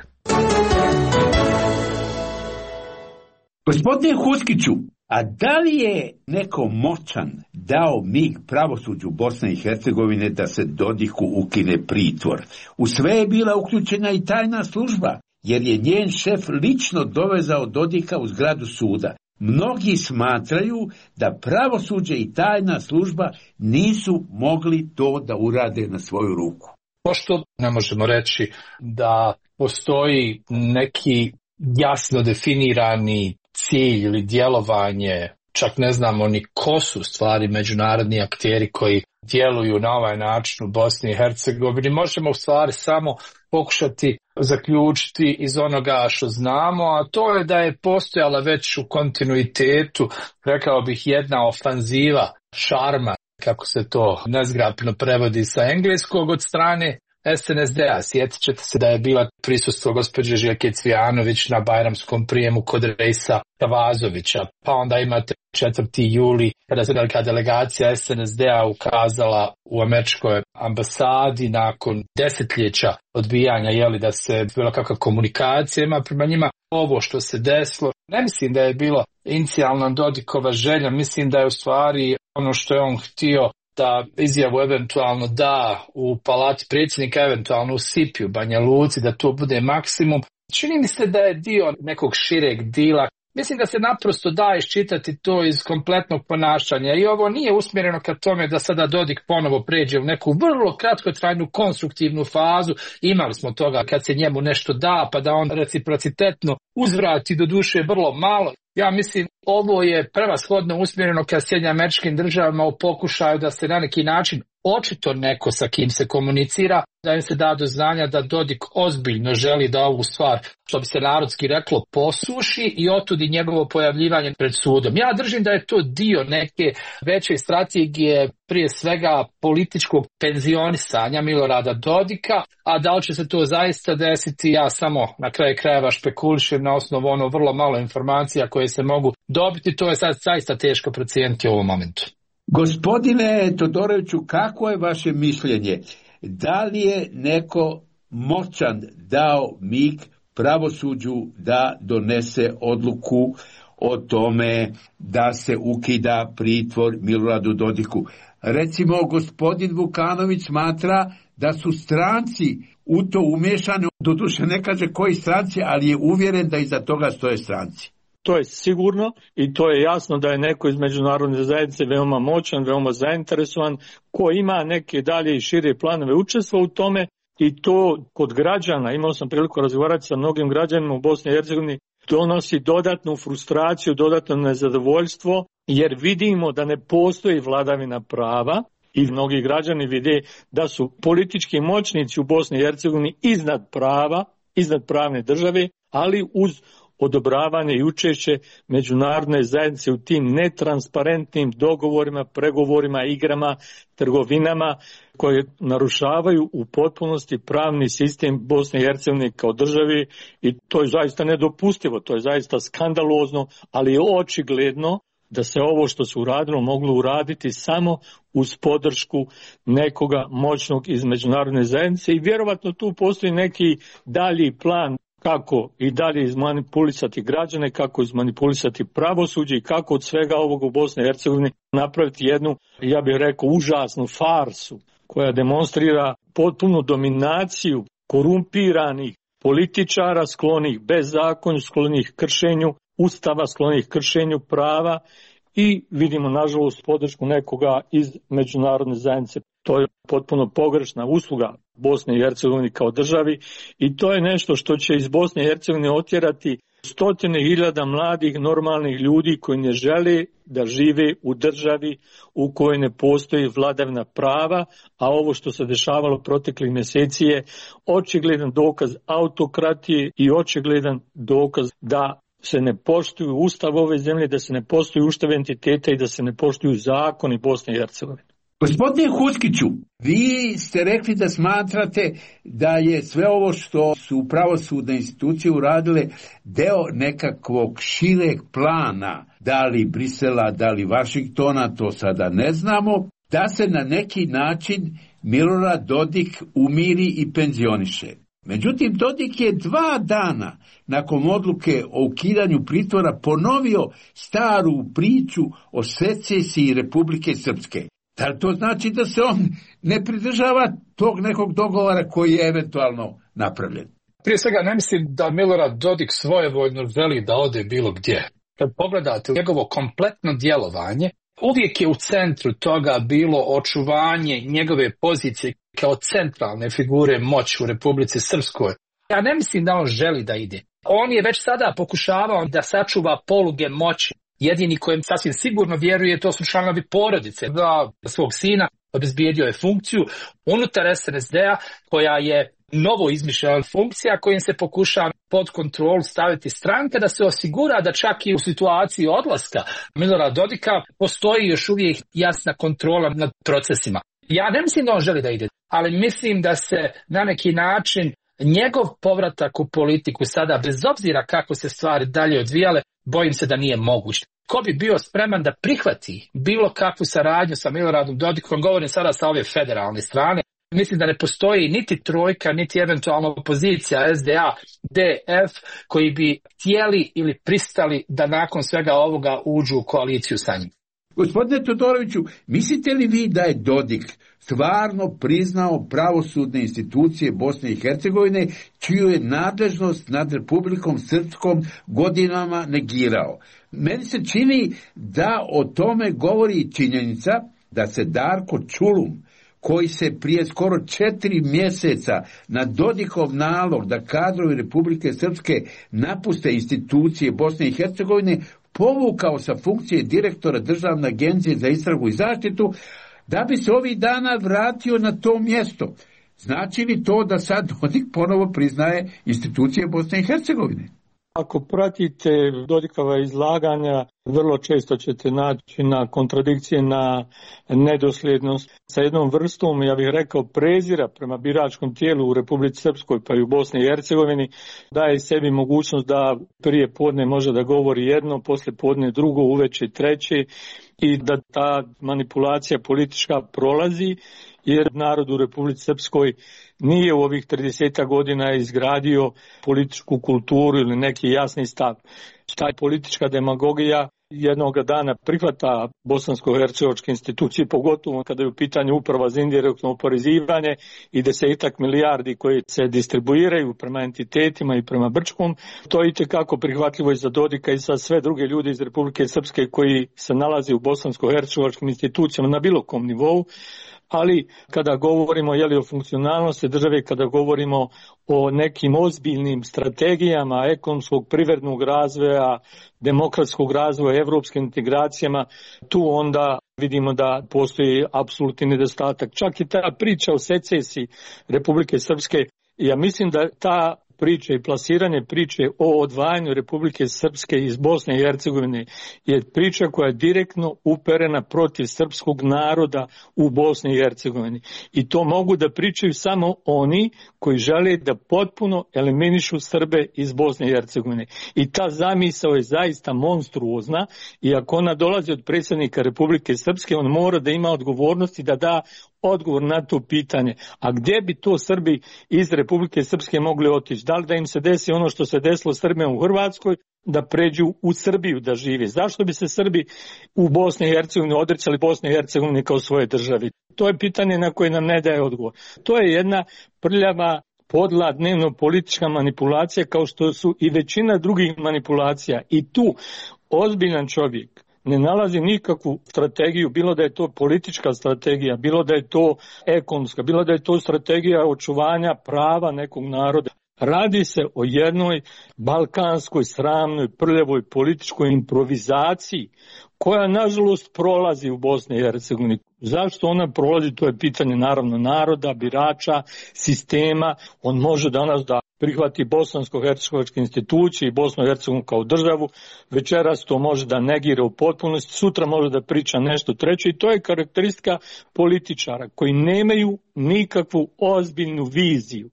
Gospodine Huskiću, a da li je neko moćan dao mig pravosuđu Bosne i Hercegovine da se Dodiku ukine pritvor? U sve je bila uključena i tajna služba, jer je njen šef lično dovezao Dodika u zgradu suda. Mnogi smatraju da pravosuđe i tajna služba nisu mogli to da urade na svoju ruku. Pošto ne možemo reći da postoji neki jasno definirani cilj ili djelovanje, čak ne znamo ni ko su stvari međunarodni akteri koji djeluju na ovaj način u Bosni i Hercegovini, možemo u stvari samo pokušati zaključiti iz onoga što znamo, a to je da je postojala već u kontinuitetu, rekao bih, jedna ofanziva šarma, kako se to nezgrapno prevodi sa engleskog, od strane SNSD-a. Sjetit ćete se da je bila prisustvo gospođe Željke Cvijanović na bajramskom prijemu kod Rejsa Kavazovića. Pa onda imate 4. juli kada se velika delegacija SNSD-a ukazala u američkoj ambasadi nakon desetljeća odbijanja da se bilo kakva komunikacija ima prema njima. Ovo što se desilo, ne mislim da je bilo inicijalna Dodikova želja, mislim da je u stvari ono što je on htio da izjavu eventualno da u palati predsjednika, eventualno u Sipiju, Banja Luci, da to bude maksimum. Čini mi se da je dio nekog šireg dila. Mislim da se naprosto da iščitati to iz kompletnog ponašanja i ovo nije usmjereno ka tome da sada Dodik ponovo pređe u neku vrlo kratkotrajnu konstruktivnu fazu. Imali smo toga kad se njemu nešto da, pa da on reciprocitetno uzvrati, do duše vrlo malo. Ja mislim, ovo je prevashodno usmjereno ka Sjedinjenim Američkim Državama u pokušaju da se na neki način očito neko sa kim se komunicira, da im se da do znanja da Dodik ozbiljno želi da ovu stvar, što bi se narodski reklo, posuši i otudi njegovo pojavljivanje pred sudom. Ja držim da je to dio neke veće strategije, prije svega političkog penzionisanja Milorada Dodika, a da li će se to zaista desiti, ja samo na kraju krajeva špekulišem na osnovu ono vrlo malo informacija koje se mogu dobiti, to je sad zaista teško procijeniti u ovom momentu. Gospodine Todoroviću, kako je vaše mišljenje? Da li je neko moćan dao mig pravosuđu da donese odluku o tome da se ukida pritvor Miloradu Dodiku? Recimo, gospodin Vukanović smatra da su stranci u to umješani, doduše ne kaže koji stranci, ali je uvjeren da iza toga stoje stranci. To je sigurno i to je jasno da je neko iz međunarodne zajednice veoma moćan, veoma zainteresovan, ko ima neke dalje i šire planove učestva u tome i to kod građana, imao sam priliku razgovarati sa mnogim građanima u Bosni i Hercegovini, donosi dodatnu frustraciju, dodatno nezadovoljstvo, jer vidimo da ne postoji vladavina prava i mnogi građani vide da su politički moćnici u Bosni i Hercegovini iznad prava, iznad pravne države, ali uz odobravanje i učešće međunarodne zajednice u tim netransparentnim dogovorima, pregovorima, igrama, trgovinama koje narušavaju u potpunosti pravni sistem Bosne i Hercegovine kao državi i to je zaista nedopustivo, to je zaista skandalozno, ali je očigledno da se ovo što se uradilo moglo uraditi samo uz podršku nekoga moćnog iz međunarodne zajednice i vjerovatno tu postoji neki dalji plan kako i dalje izmanipulisati građane, kako izmanipulisati pravosuđe i kako od svega ovog u Bosni i Hercegovini napraviti jednu, ja bih rekao, užasnu farsu koja demonstrira potpunu dominaciju korumpiranih političara sklonih bezakonju, sklonih kršenju Ustava, sklonih kršenju prava i vidimo nažalost podršku nekoga iz međunarodne zajednice. To je potpuno pogrešna usluga Bosne i Hercegovine kao državi i to je nešto što će iz Bosne i Hercegovine otjerati stotine hiljada mladih normalnih ljudi koji ne žele da žive u državi u kojoj ne postoji vladavina prava, a ovo što se dešavalo proteklih mjeseci je očigledan dokaz autokratije i očigledan dokaz da se ne poštuju ustav ove zemlje, da se ne poštuju ustav entiteta i da se ne poštuju zakoni Bosne i Hercegovine. Gospodine Huskiću, vi ste rekli da smatrate da je sve ovo što su pravosudne institucije uradile deo nekakvog šireg plana, da li Brisela, da li Vašingtona, to sada ne znamo, da se na neki način Milorad Dodik umiri i penzioniše. Međutim, Dodik je 2 dana nakon odluke o ukidanju pritvora ponovio staru priču o secesiji Republike Srpske. Da li to znači da se on ne pridržava tog nekog dogovora koji je eventualno napravljen? Prije svega ne mislim da Milorad Dodik svojevoljno želi da ode bilo gdje. Kad pogledate njegovo kompletno djelovanje, uvijek je u centru toga bilo očuvanje njegove pozicije kao centralne figure moći u Republici Srpskoj. Ja ne mislim da on želi da ide. On je već sada pokušavao da sačuva poluge moći. Jedini kojem sasvim sigurno vjeruje, to su članovi porodice. Da svog sina obezbijedio je funkciju unutar SNSD-a koja je novo izmišljena funkcija kojim se pokušava pod kontrolu staviti stranka da se osigura da čak i u situaciji odlaska Milorada Dodika postoji još uvijek jasna kontrola nad procesima. Ja ne mislim da on želi da ide, ali mislim da se na neki način njegov povratak u politiku sada, bez obzira kako se stvari dalje odvijale, bojim se da nije moguć. Ko bi bio spreman da prihvati bilo kakvu saradnju sa Miloradom Dodikom, govorim sada sa ove federalne strane, mislim da ne postoji niti trojka, niti eventualno opozicija SDA, DF, koji bi htjeli ili pristali da nakon svega ovoga uđu u koaliciju sa njim. Gospodine Todoroviću, mislite li vi da je Dodik stvarno priznao pravosudne institucije Bosne i Hercegovine, čiju je nadležnost nad Republikom Srpskom godinama negirao? Meni se čini da o tome govori činjenica da se Darko Čulum, koji se prije skoro 4 mjeseca na Dodikov nalog da kadrovi Republike Srpske napuste institucije Bosne i Hercegovine, povukao sa funkcije direktora Državne agencije za istragu i zaštitu, da bi se ovih dana vratio na to mjesto. Znači li to da sad Dodik ponovo priznaje institucije Bosne i Hercegovine? Ako pratite Dodikova izlaganja, vrlo često ćete naći na kontradikcije, na nedosljednost sa jednom vrstom, ja bih rekao, prezira prema biračkom tijelu u Republici Srpskoj pa i u Bosni i Hercegovini, daje sebi mogućnost da prije podne može da govori jedno, poslije podne drugo, uveče treće i da ta manipulacija politička prolazi, jer narod u Republici Srpskoj nije u ovih 30 godina izgradio političku kulturu ili neki jasni stav. Ta politička demagogija jednog dana prihvata bosansko-hercegovačke institucije, pogotovo kada je u pitanju uprava za indirektno oporezivanje i 10 milijardi koje se distribuiraju prema entitetima i prema Brčkom. To je itekako prihvatljivo i za Dodika i za sve druge ljude iz Republike Srpske koji se nalaze u bosansko-hercegovačkim institucijama na bilo kom nivou. Ali kada govorimo o funkcionalnosti države, kada govorimo o nekim ozbiljnim strategijama ekonomskog, privrednog razvoja, demokratskog razvoja, evropskim integracijama, tu onda vidimo da postoji apsolutni nedostatak. Čak i ta priča o secesiji Republike Srpske, ja mislim da ta priče i plasiranje priče o odvajanju Republike Srpske iz Bosne i Hercegovine je priča koja je direktno uperena protiv srpskog naroda u Bosni i Hercegovini. I to mogu da pričaju samo oni koji žele da potpuno eliminišu Srbe iz Bosne i Hercegovine. I ta zamisao je zaista monstruozna i ako ona dolazi od predsjednika Republike Srpske, on mora da ima odgovornosti da da odgovor na to pitanje. A gdje bi to Srbi iz Republike Srpske mogli otići? Da li da im se desi ono što se desilo Srbima u Hrvatskoj, da pređu u Srbiju da žive? Zašto bi se Srbi u Bosni i Hercegovini odricali Bosne i Hercegovine kao svoje državi? To je pitanje na koje nam ne daje odgovor. To je jedna prljava, podla, dnevno politička manipulacija kao što su i većina drugih manipulacija. I tu ozbiljan čovjek ne nalazi nikakvu strategiju, bilo da je to politička strategija, bilo da je to ekonomska, bilo da je to strategija očuvanja prava nekog naroda. Radi se o jednoj balkanskoj, sramnoj, prljavoj političkoj improvizaciji koja nažalost prolazi u Bosni i Hercegovini. Zašto ona prolazi, to je pitanje naravno naroda, birača, sistema. On može danas da prihvati bosansko-hercegovačke institucije i Bosnu i Hercegovinu kao državu, večeras to može da negira u potpunosti, sutra može da priča nešto treće i to je karakteristika političara koji nemaju nikakvu ozbiljnu viziju.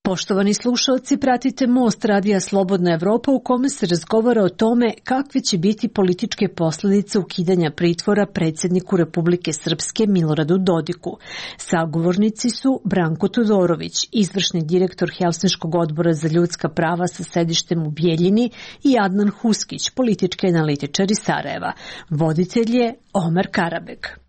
Poštovani slušalci, pratite Most radija Slobodna Evropa u kome se razgovara o tome kakve će biti političke posljedice ukidanja pritvora predsjedniku Republike Srpske Miloradu Dodiku. Sagovornici su Branko Todorović, izvršni direktor Helsinškog odbora za ljudska prava sa sedištem u Bijeljini i Adnan Huskić, politički analitičar iz Sarajeva. Voditelj je Omer Karabek.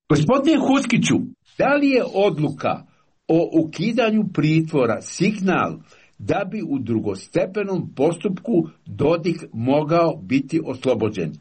Gospodine Huskiću, da li je odluka o ukidanju pritvora signal da bi u drugostepenom postupku Dodik mogao biti oslobođen?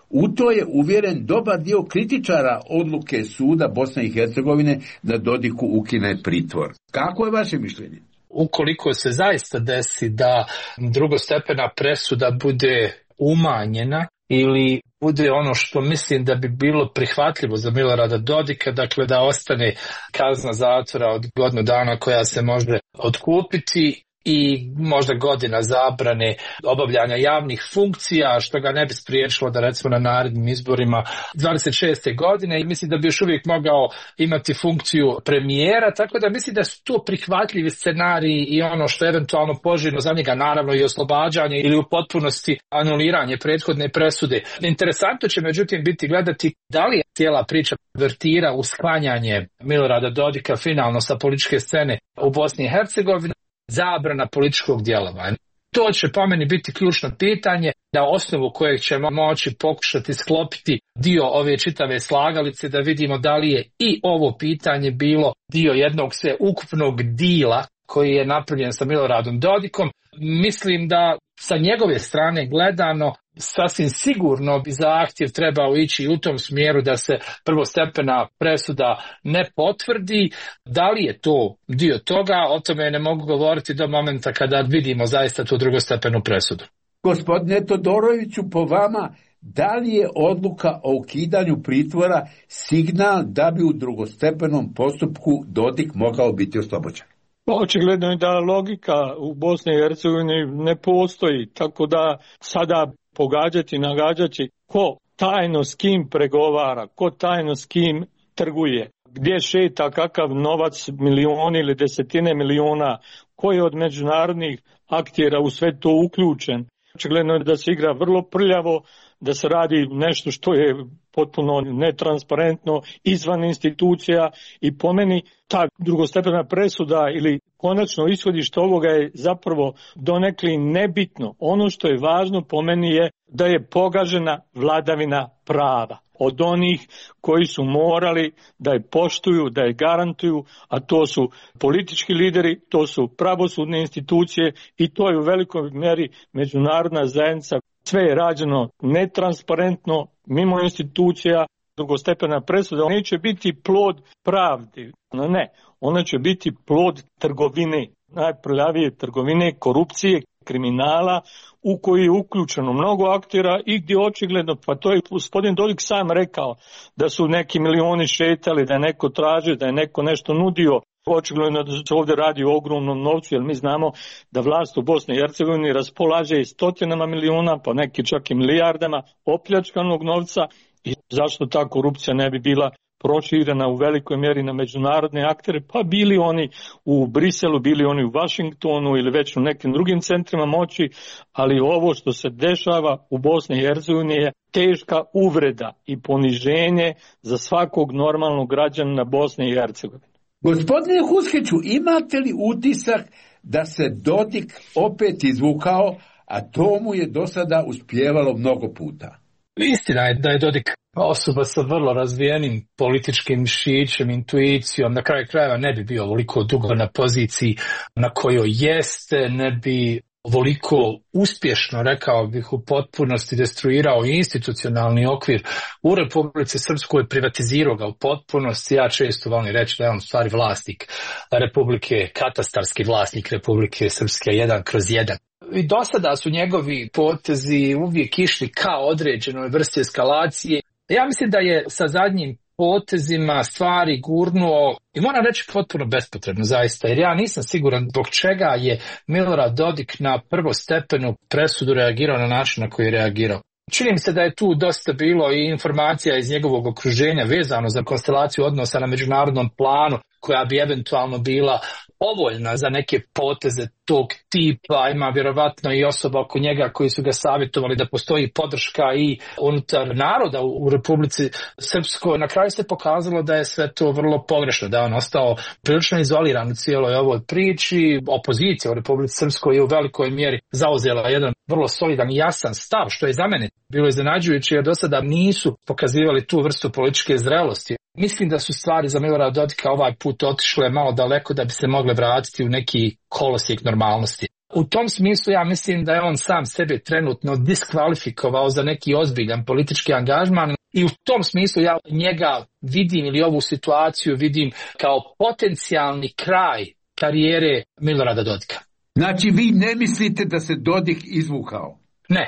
U to je uvjeren dobar dio kritičara odluke suda Bosne i Hercegovine da Dodiku ukine pritvor. Kako je vaše mišljenje? Ukoliko se zaista desi da drugostepena presuda bude umanjena ili bude ono što mislim da bi bilo prihvatljivo za Milorada Dodika, dakle da ostane kazna zatvora od godinu dana koja se može otkupiti i možda godina zabrane obavljanja javnih funkcija, što ga ne bi spriječilo da recimo na narednim izborima 26. godine i mislim da bi još uvijek mogao imati funkciju premijera, tako da mislim da su to prihvatljivi scenariji i ono što je eventualno poželjno za njega, naravno i oslobađanje ili u potpunosti anuliranje prethodne presude. Interesantno će međutim biti gledati da li cijela priča vertira u sklanjanje Milorada Dodika finalno sa političke scene u Bosni i Hercegovini, zabrana političkog djelovanja. To će po meni biti ključno pitanje na osnovu kojeg ćemo moći pokušati sklopiti dio ove čitave slagalice da vidimo da li je i ovo pitanje bilo dio jednog sveukupnog dila koji je napravljen sa Miloradom Dodikom. Mislim da sa njegove strane gledano sasvim sigurno bi zahtjev trebao ići u tom smjeru da se prvostepena presuda ne potvrdi. Da li je to dio toga, o tome ne mogu govoriti do momenta kada vidimo zaista tu drugostepenu presudu. Gospodine Todoroviću, po vama, da li je odluka o ukidanju pritvora signal da bi u drugostepenom postupku Dodik mogao biti oslobođen? Očigledno je da logika u Bosni i Hercegovini ne postoji, tako da sada pogađati, nagađati ko tajno s kim pregovara, ko tajno s kim trguje, gdje šeta kakav novac, milioni ili desetine miliona, ko je od međunarodnih aktera u sve to uključen. Očigledno je da se igra vrlo prljavo, da se radi nešto što je potpuno netransparentno, izvan institucija i po meni ta drugostepena presuda ili konačno ishodište ovoga je zapravo donekli nebitno. Ono što je važno po meni je da je pogažena vladavina prava od onih koji su morali da je poštuju, da je garantuju, a to su politički lideri, to su pravosudne institucije i to je u velikoj mjeri međunarodna zajednica. Sve je rađeno netransparentno, mimo institucija. Drugostepena presuda neće biti plod pravde, ne, ona će biti plod trgovine, najprljavije trgovine, korupcije, kriminala u koji je uključeno mnogo aktera i gdje očigledno, pa to je gospodin Dodik sam rekao, da su neki milioni šetali, da je neko tražio, da je neko nešto nudio. Očigledno da se ovdje radi o ogromnom novcu, jer mi znamo da vlast u Bosni i Hercegovini raspolaže i stotinama miliona, pa neki čak i milijardama opljačkanog novca i zašto ta korupcija ne bi bila proširena u velikoj mjeri na međunarodne aktere, pa bili oni u Briselu, bili oni u Vašingtonu ili već u nekim drugim centrima moći, ali ovo što se dešava u Bosni i Hercegovini je teška uvreda i poniženje za svakog normalnog građanina Bosne i Hercegovine. Gospodine Huskiću, imate li utisak da se Dodik opet izvukao, a to mu je do sada uspjevalo mnogo puta? Istina je da je Dodik osoba sa vrlo razvijenim političkim mišićem, intuicijom, na kraju krajeva ne bi bio ovoliko dugo na poziciji na kojoj jeste, ne bi ovoliko uspješno, rekao bih, u potpunosti destruirao institucionalni okvir u Republici Srpskoj, privatizirao ga u potpunosti. Ja često volim reći da je on stvari vlasnik Republike, katastarski vlasnik Republike Srpske 1/1. I do sada su njegovi potezi uvijek išli kao određenoj vrsti eskalacije. Ja mislim da je sa zadnjim potezima stvari gurnuo, i moram reći potpuno bespotrebno zaista, jer ja nisam siguran zbog čega je Milorad Dodik na prvostepenu presudu reagirao na način na koji je reagirao. Čini mi se da je tu dosta bilo i informacija iz njegovog okruženja vezano za konstelaciju odnosa na međunarodnom planu, koja bi eventualno bila povoljna za neke poteze tog tipa. Ima vjerovatno i osoba oko njega koji su ga savjetovali da postoji podrška i unutar naroda u Republici Srpskoj. Na kraju se pokazalo da je sve to vrlo pogrešno, da je on ostao prilično izoliran u cijeloj ovoj priči. Opozicija u Republici Srpskoj je u velikoj mjeri zauzela jedan vrlo solidan i jasan stav, što je za mene bilo iznenađujuće, jer do sada nisu pokazivali tu vrstu političke zrelosti. Mislim da su stvari za Milorada Dodika ovaj put otišle malo daleko da bi se mogle vratiti u neki kolosijek normalnosti. U tom smislu ja mislim da je on sam sebe trenutno diskvalifikovao za neki ozbiljan politički angažman i u tom smislu ja njega vidim, ili ovu situaciju vidim kao potencijalni kraj karijere Milorada Dodika. Znači vi ne mislite da se Dodik izvukao?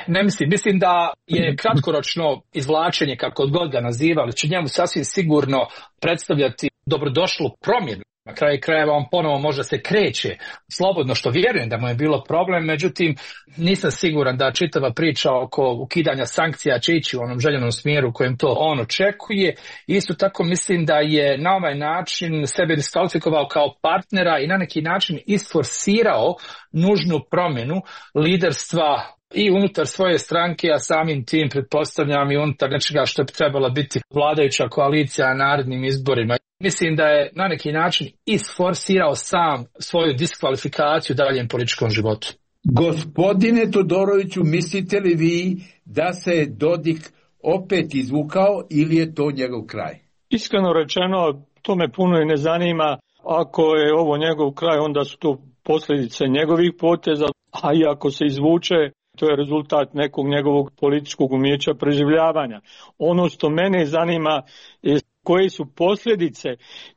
Ne mislim. Mislim da je kratkoročno izvlačenje, kako god ga nazivali, će njemu sasvim sigurno predstavljati dobrodošlu promjenu. Na kraju krajeva on ponovo možda se kreće slobodno, što vjerujem da mu je bilo problem, međutim nisam siguran da čitava priča oko ukidanja sankcija će ići u onom željenom smjeru u kojem to on očekuje. Isto tako mislim da je na ovaj način sebe diskvalifikovao kao partnera i na neki način isforsirao nužnu promjenu liderstva i unutar svoje stranke, a samim tim pretpostavljam i unutar nečega što bi trebala biti vladajuća koalicija na narednim izborima. Mislim da je na neki način isforsirao sam svoju diskvalifikaciju daljem političkom životu. Gospodine Todoroviću, mislite li vi da se Dodik opet izvukao ili je to njegov kraj? Iskreno rečeno, to me puno i ne zanima. Ako je ovo njegov kraj, onda su to posljedice njegovih poteza, a i ako se izvuče, to je rezultat nekog njegovog političkog umijeća preživljavanja. Ono što mene zanima je koje su posljedice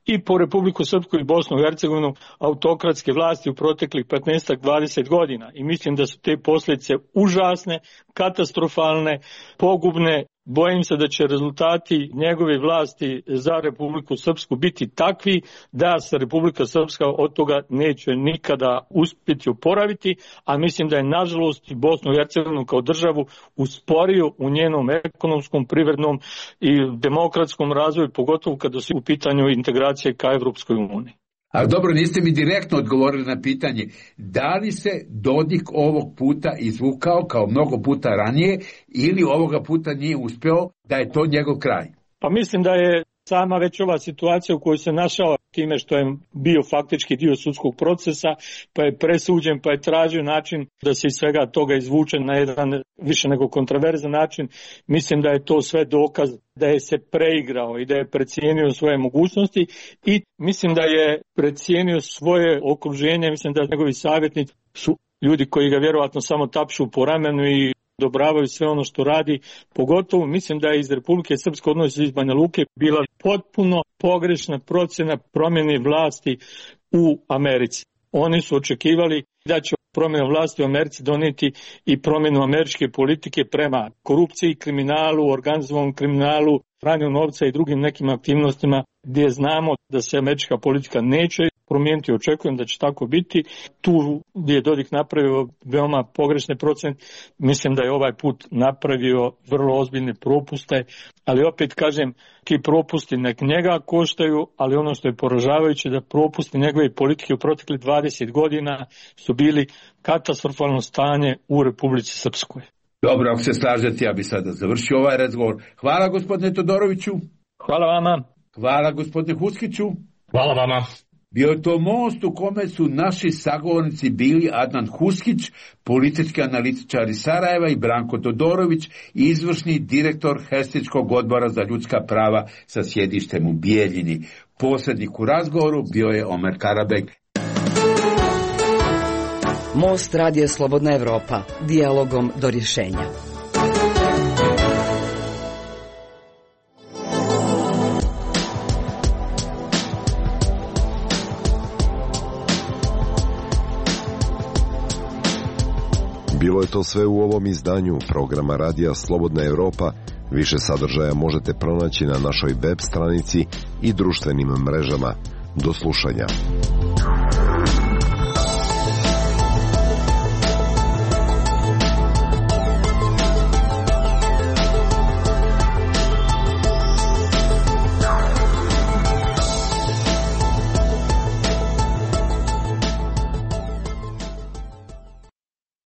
i po Republiku Srpsku i Bosnu i Hercegovinu autokratske vlasti u proteklih 15-20 godina. I mislim da su te posljedice užasne, katastrofalne, pogubne. Bojim se da će rezultati njegove vlasti za Republiku Srpsku biti takvi da se Republika Srpska od toga neće nikada uspjeti oporaviti, a mislim da je nažalost i Bosnu i Hercegovinu kao državu usporio u njenom ekonomskom, privrednom i demokratskom razvoju, pogotovo kada su u pitanju integracije ka Evropskoj uniji. Ali dobro, niste mi direktno odgovorili na pitanje da li se Dodik ovog puta izvukao kao mnogo puta ranije ili ovoga puta nije uspio, da je to njegov kraj? Pa mislim da je sama već ova situacija u kojoj se našao time što je bio faktički dio sudskog procesa, pa je presuđen, pa je tražio način da se iz svega toga izvuče na jedan više nego kontroverzan način. Mislim da je to sve dokaz da je se preigrao i da je precijenio svoje mogućnosti i mislim da je precijenio svoje okruženje. Mislim da njegovi savjetnici su ljudi koji ga vjerovatno samo tapšu po ramenu i odobravaju sve ono što radi. Pogotovo mislim da je iz Republike Srpske, odnosno iz Banja Luke, bila potpuno pogrešna procjena promjene vlasti u Americi. Oni su očekivali da će promjena vlasti u Americi donijeti i promjenu američke politike prema korupciji, kriminalu, organizovanom kriminalu, pranju novca i drugim nekim aktivnostima gdje znamo da se američka politika neće promijeniti. Očekujem da će tako biti. Tu gdje je Dodik napravio veoma pogrešne procjene, mislim da je ovaj put napravio vrlo ozbiljne propuste, ali opet kažem, ti propusti nek njega koštaju, ali ono što je poražavajuće da propusti njegove politike u proteklih 20 godina su bili katastrofalno stanje u Republici Srpskoj. Dobro, ako se slažete, ja bi sada završio ovaj razgovor. Hvala gospodine Todoroviću. Hvala vama. Hvala gospodine Huskiću. Hvala vama. Bio je to most u kome su naši sagovornici bili Adnan Huskić, politički analitičar iz Sarajeva, i Branko Todorović, izvršni direktor Helsinškog odbora za ljudska prava sa sjedištem u Bijeljini. Posrednik u razgovoru bio je Omer Karabek. Most radija Slobodna Evropa. Dijalogom do rješenja. Bilo je to sve u ovom izdanju programa radija Slobodna Evropa. Više sadržaja možete pronaći na našoj web stranici i društvenim mrežama. Do slušanja.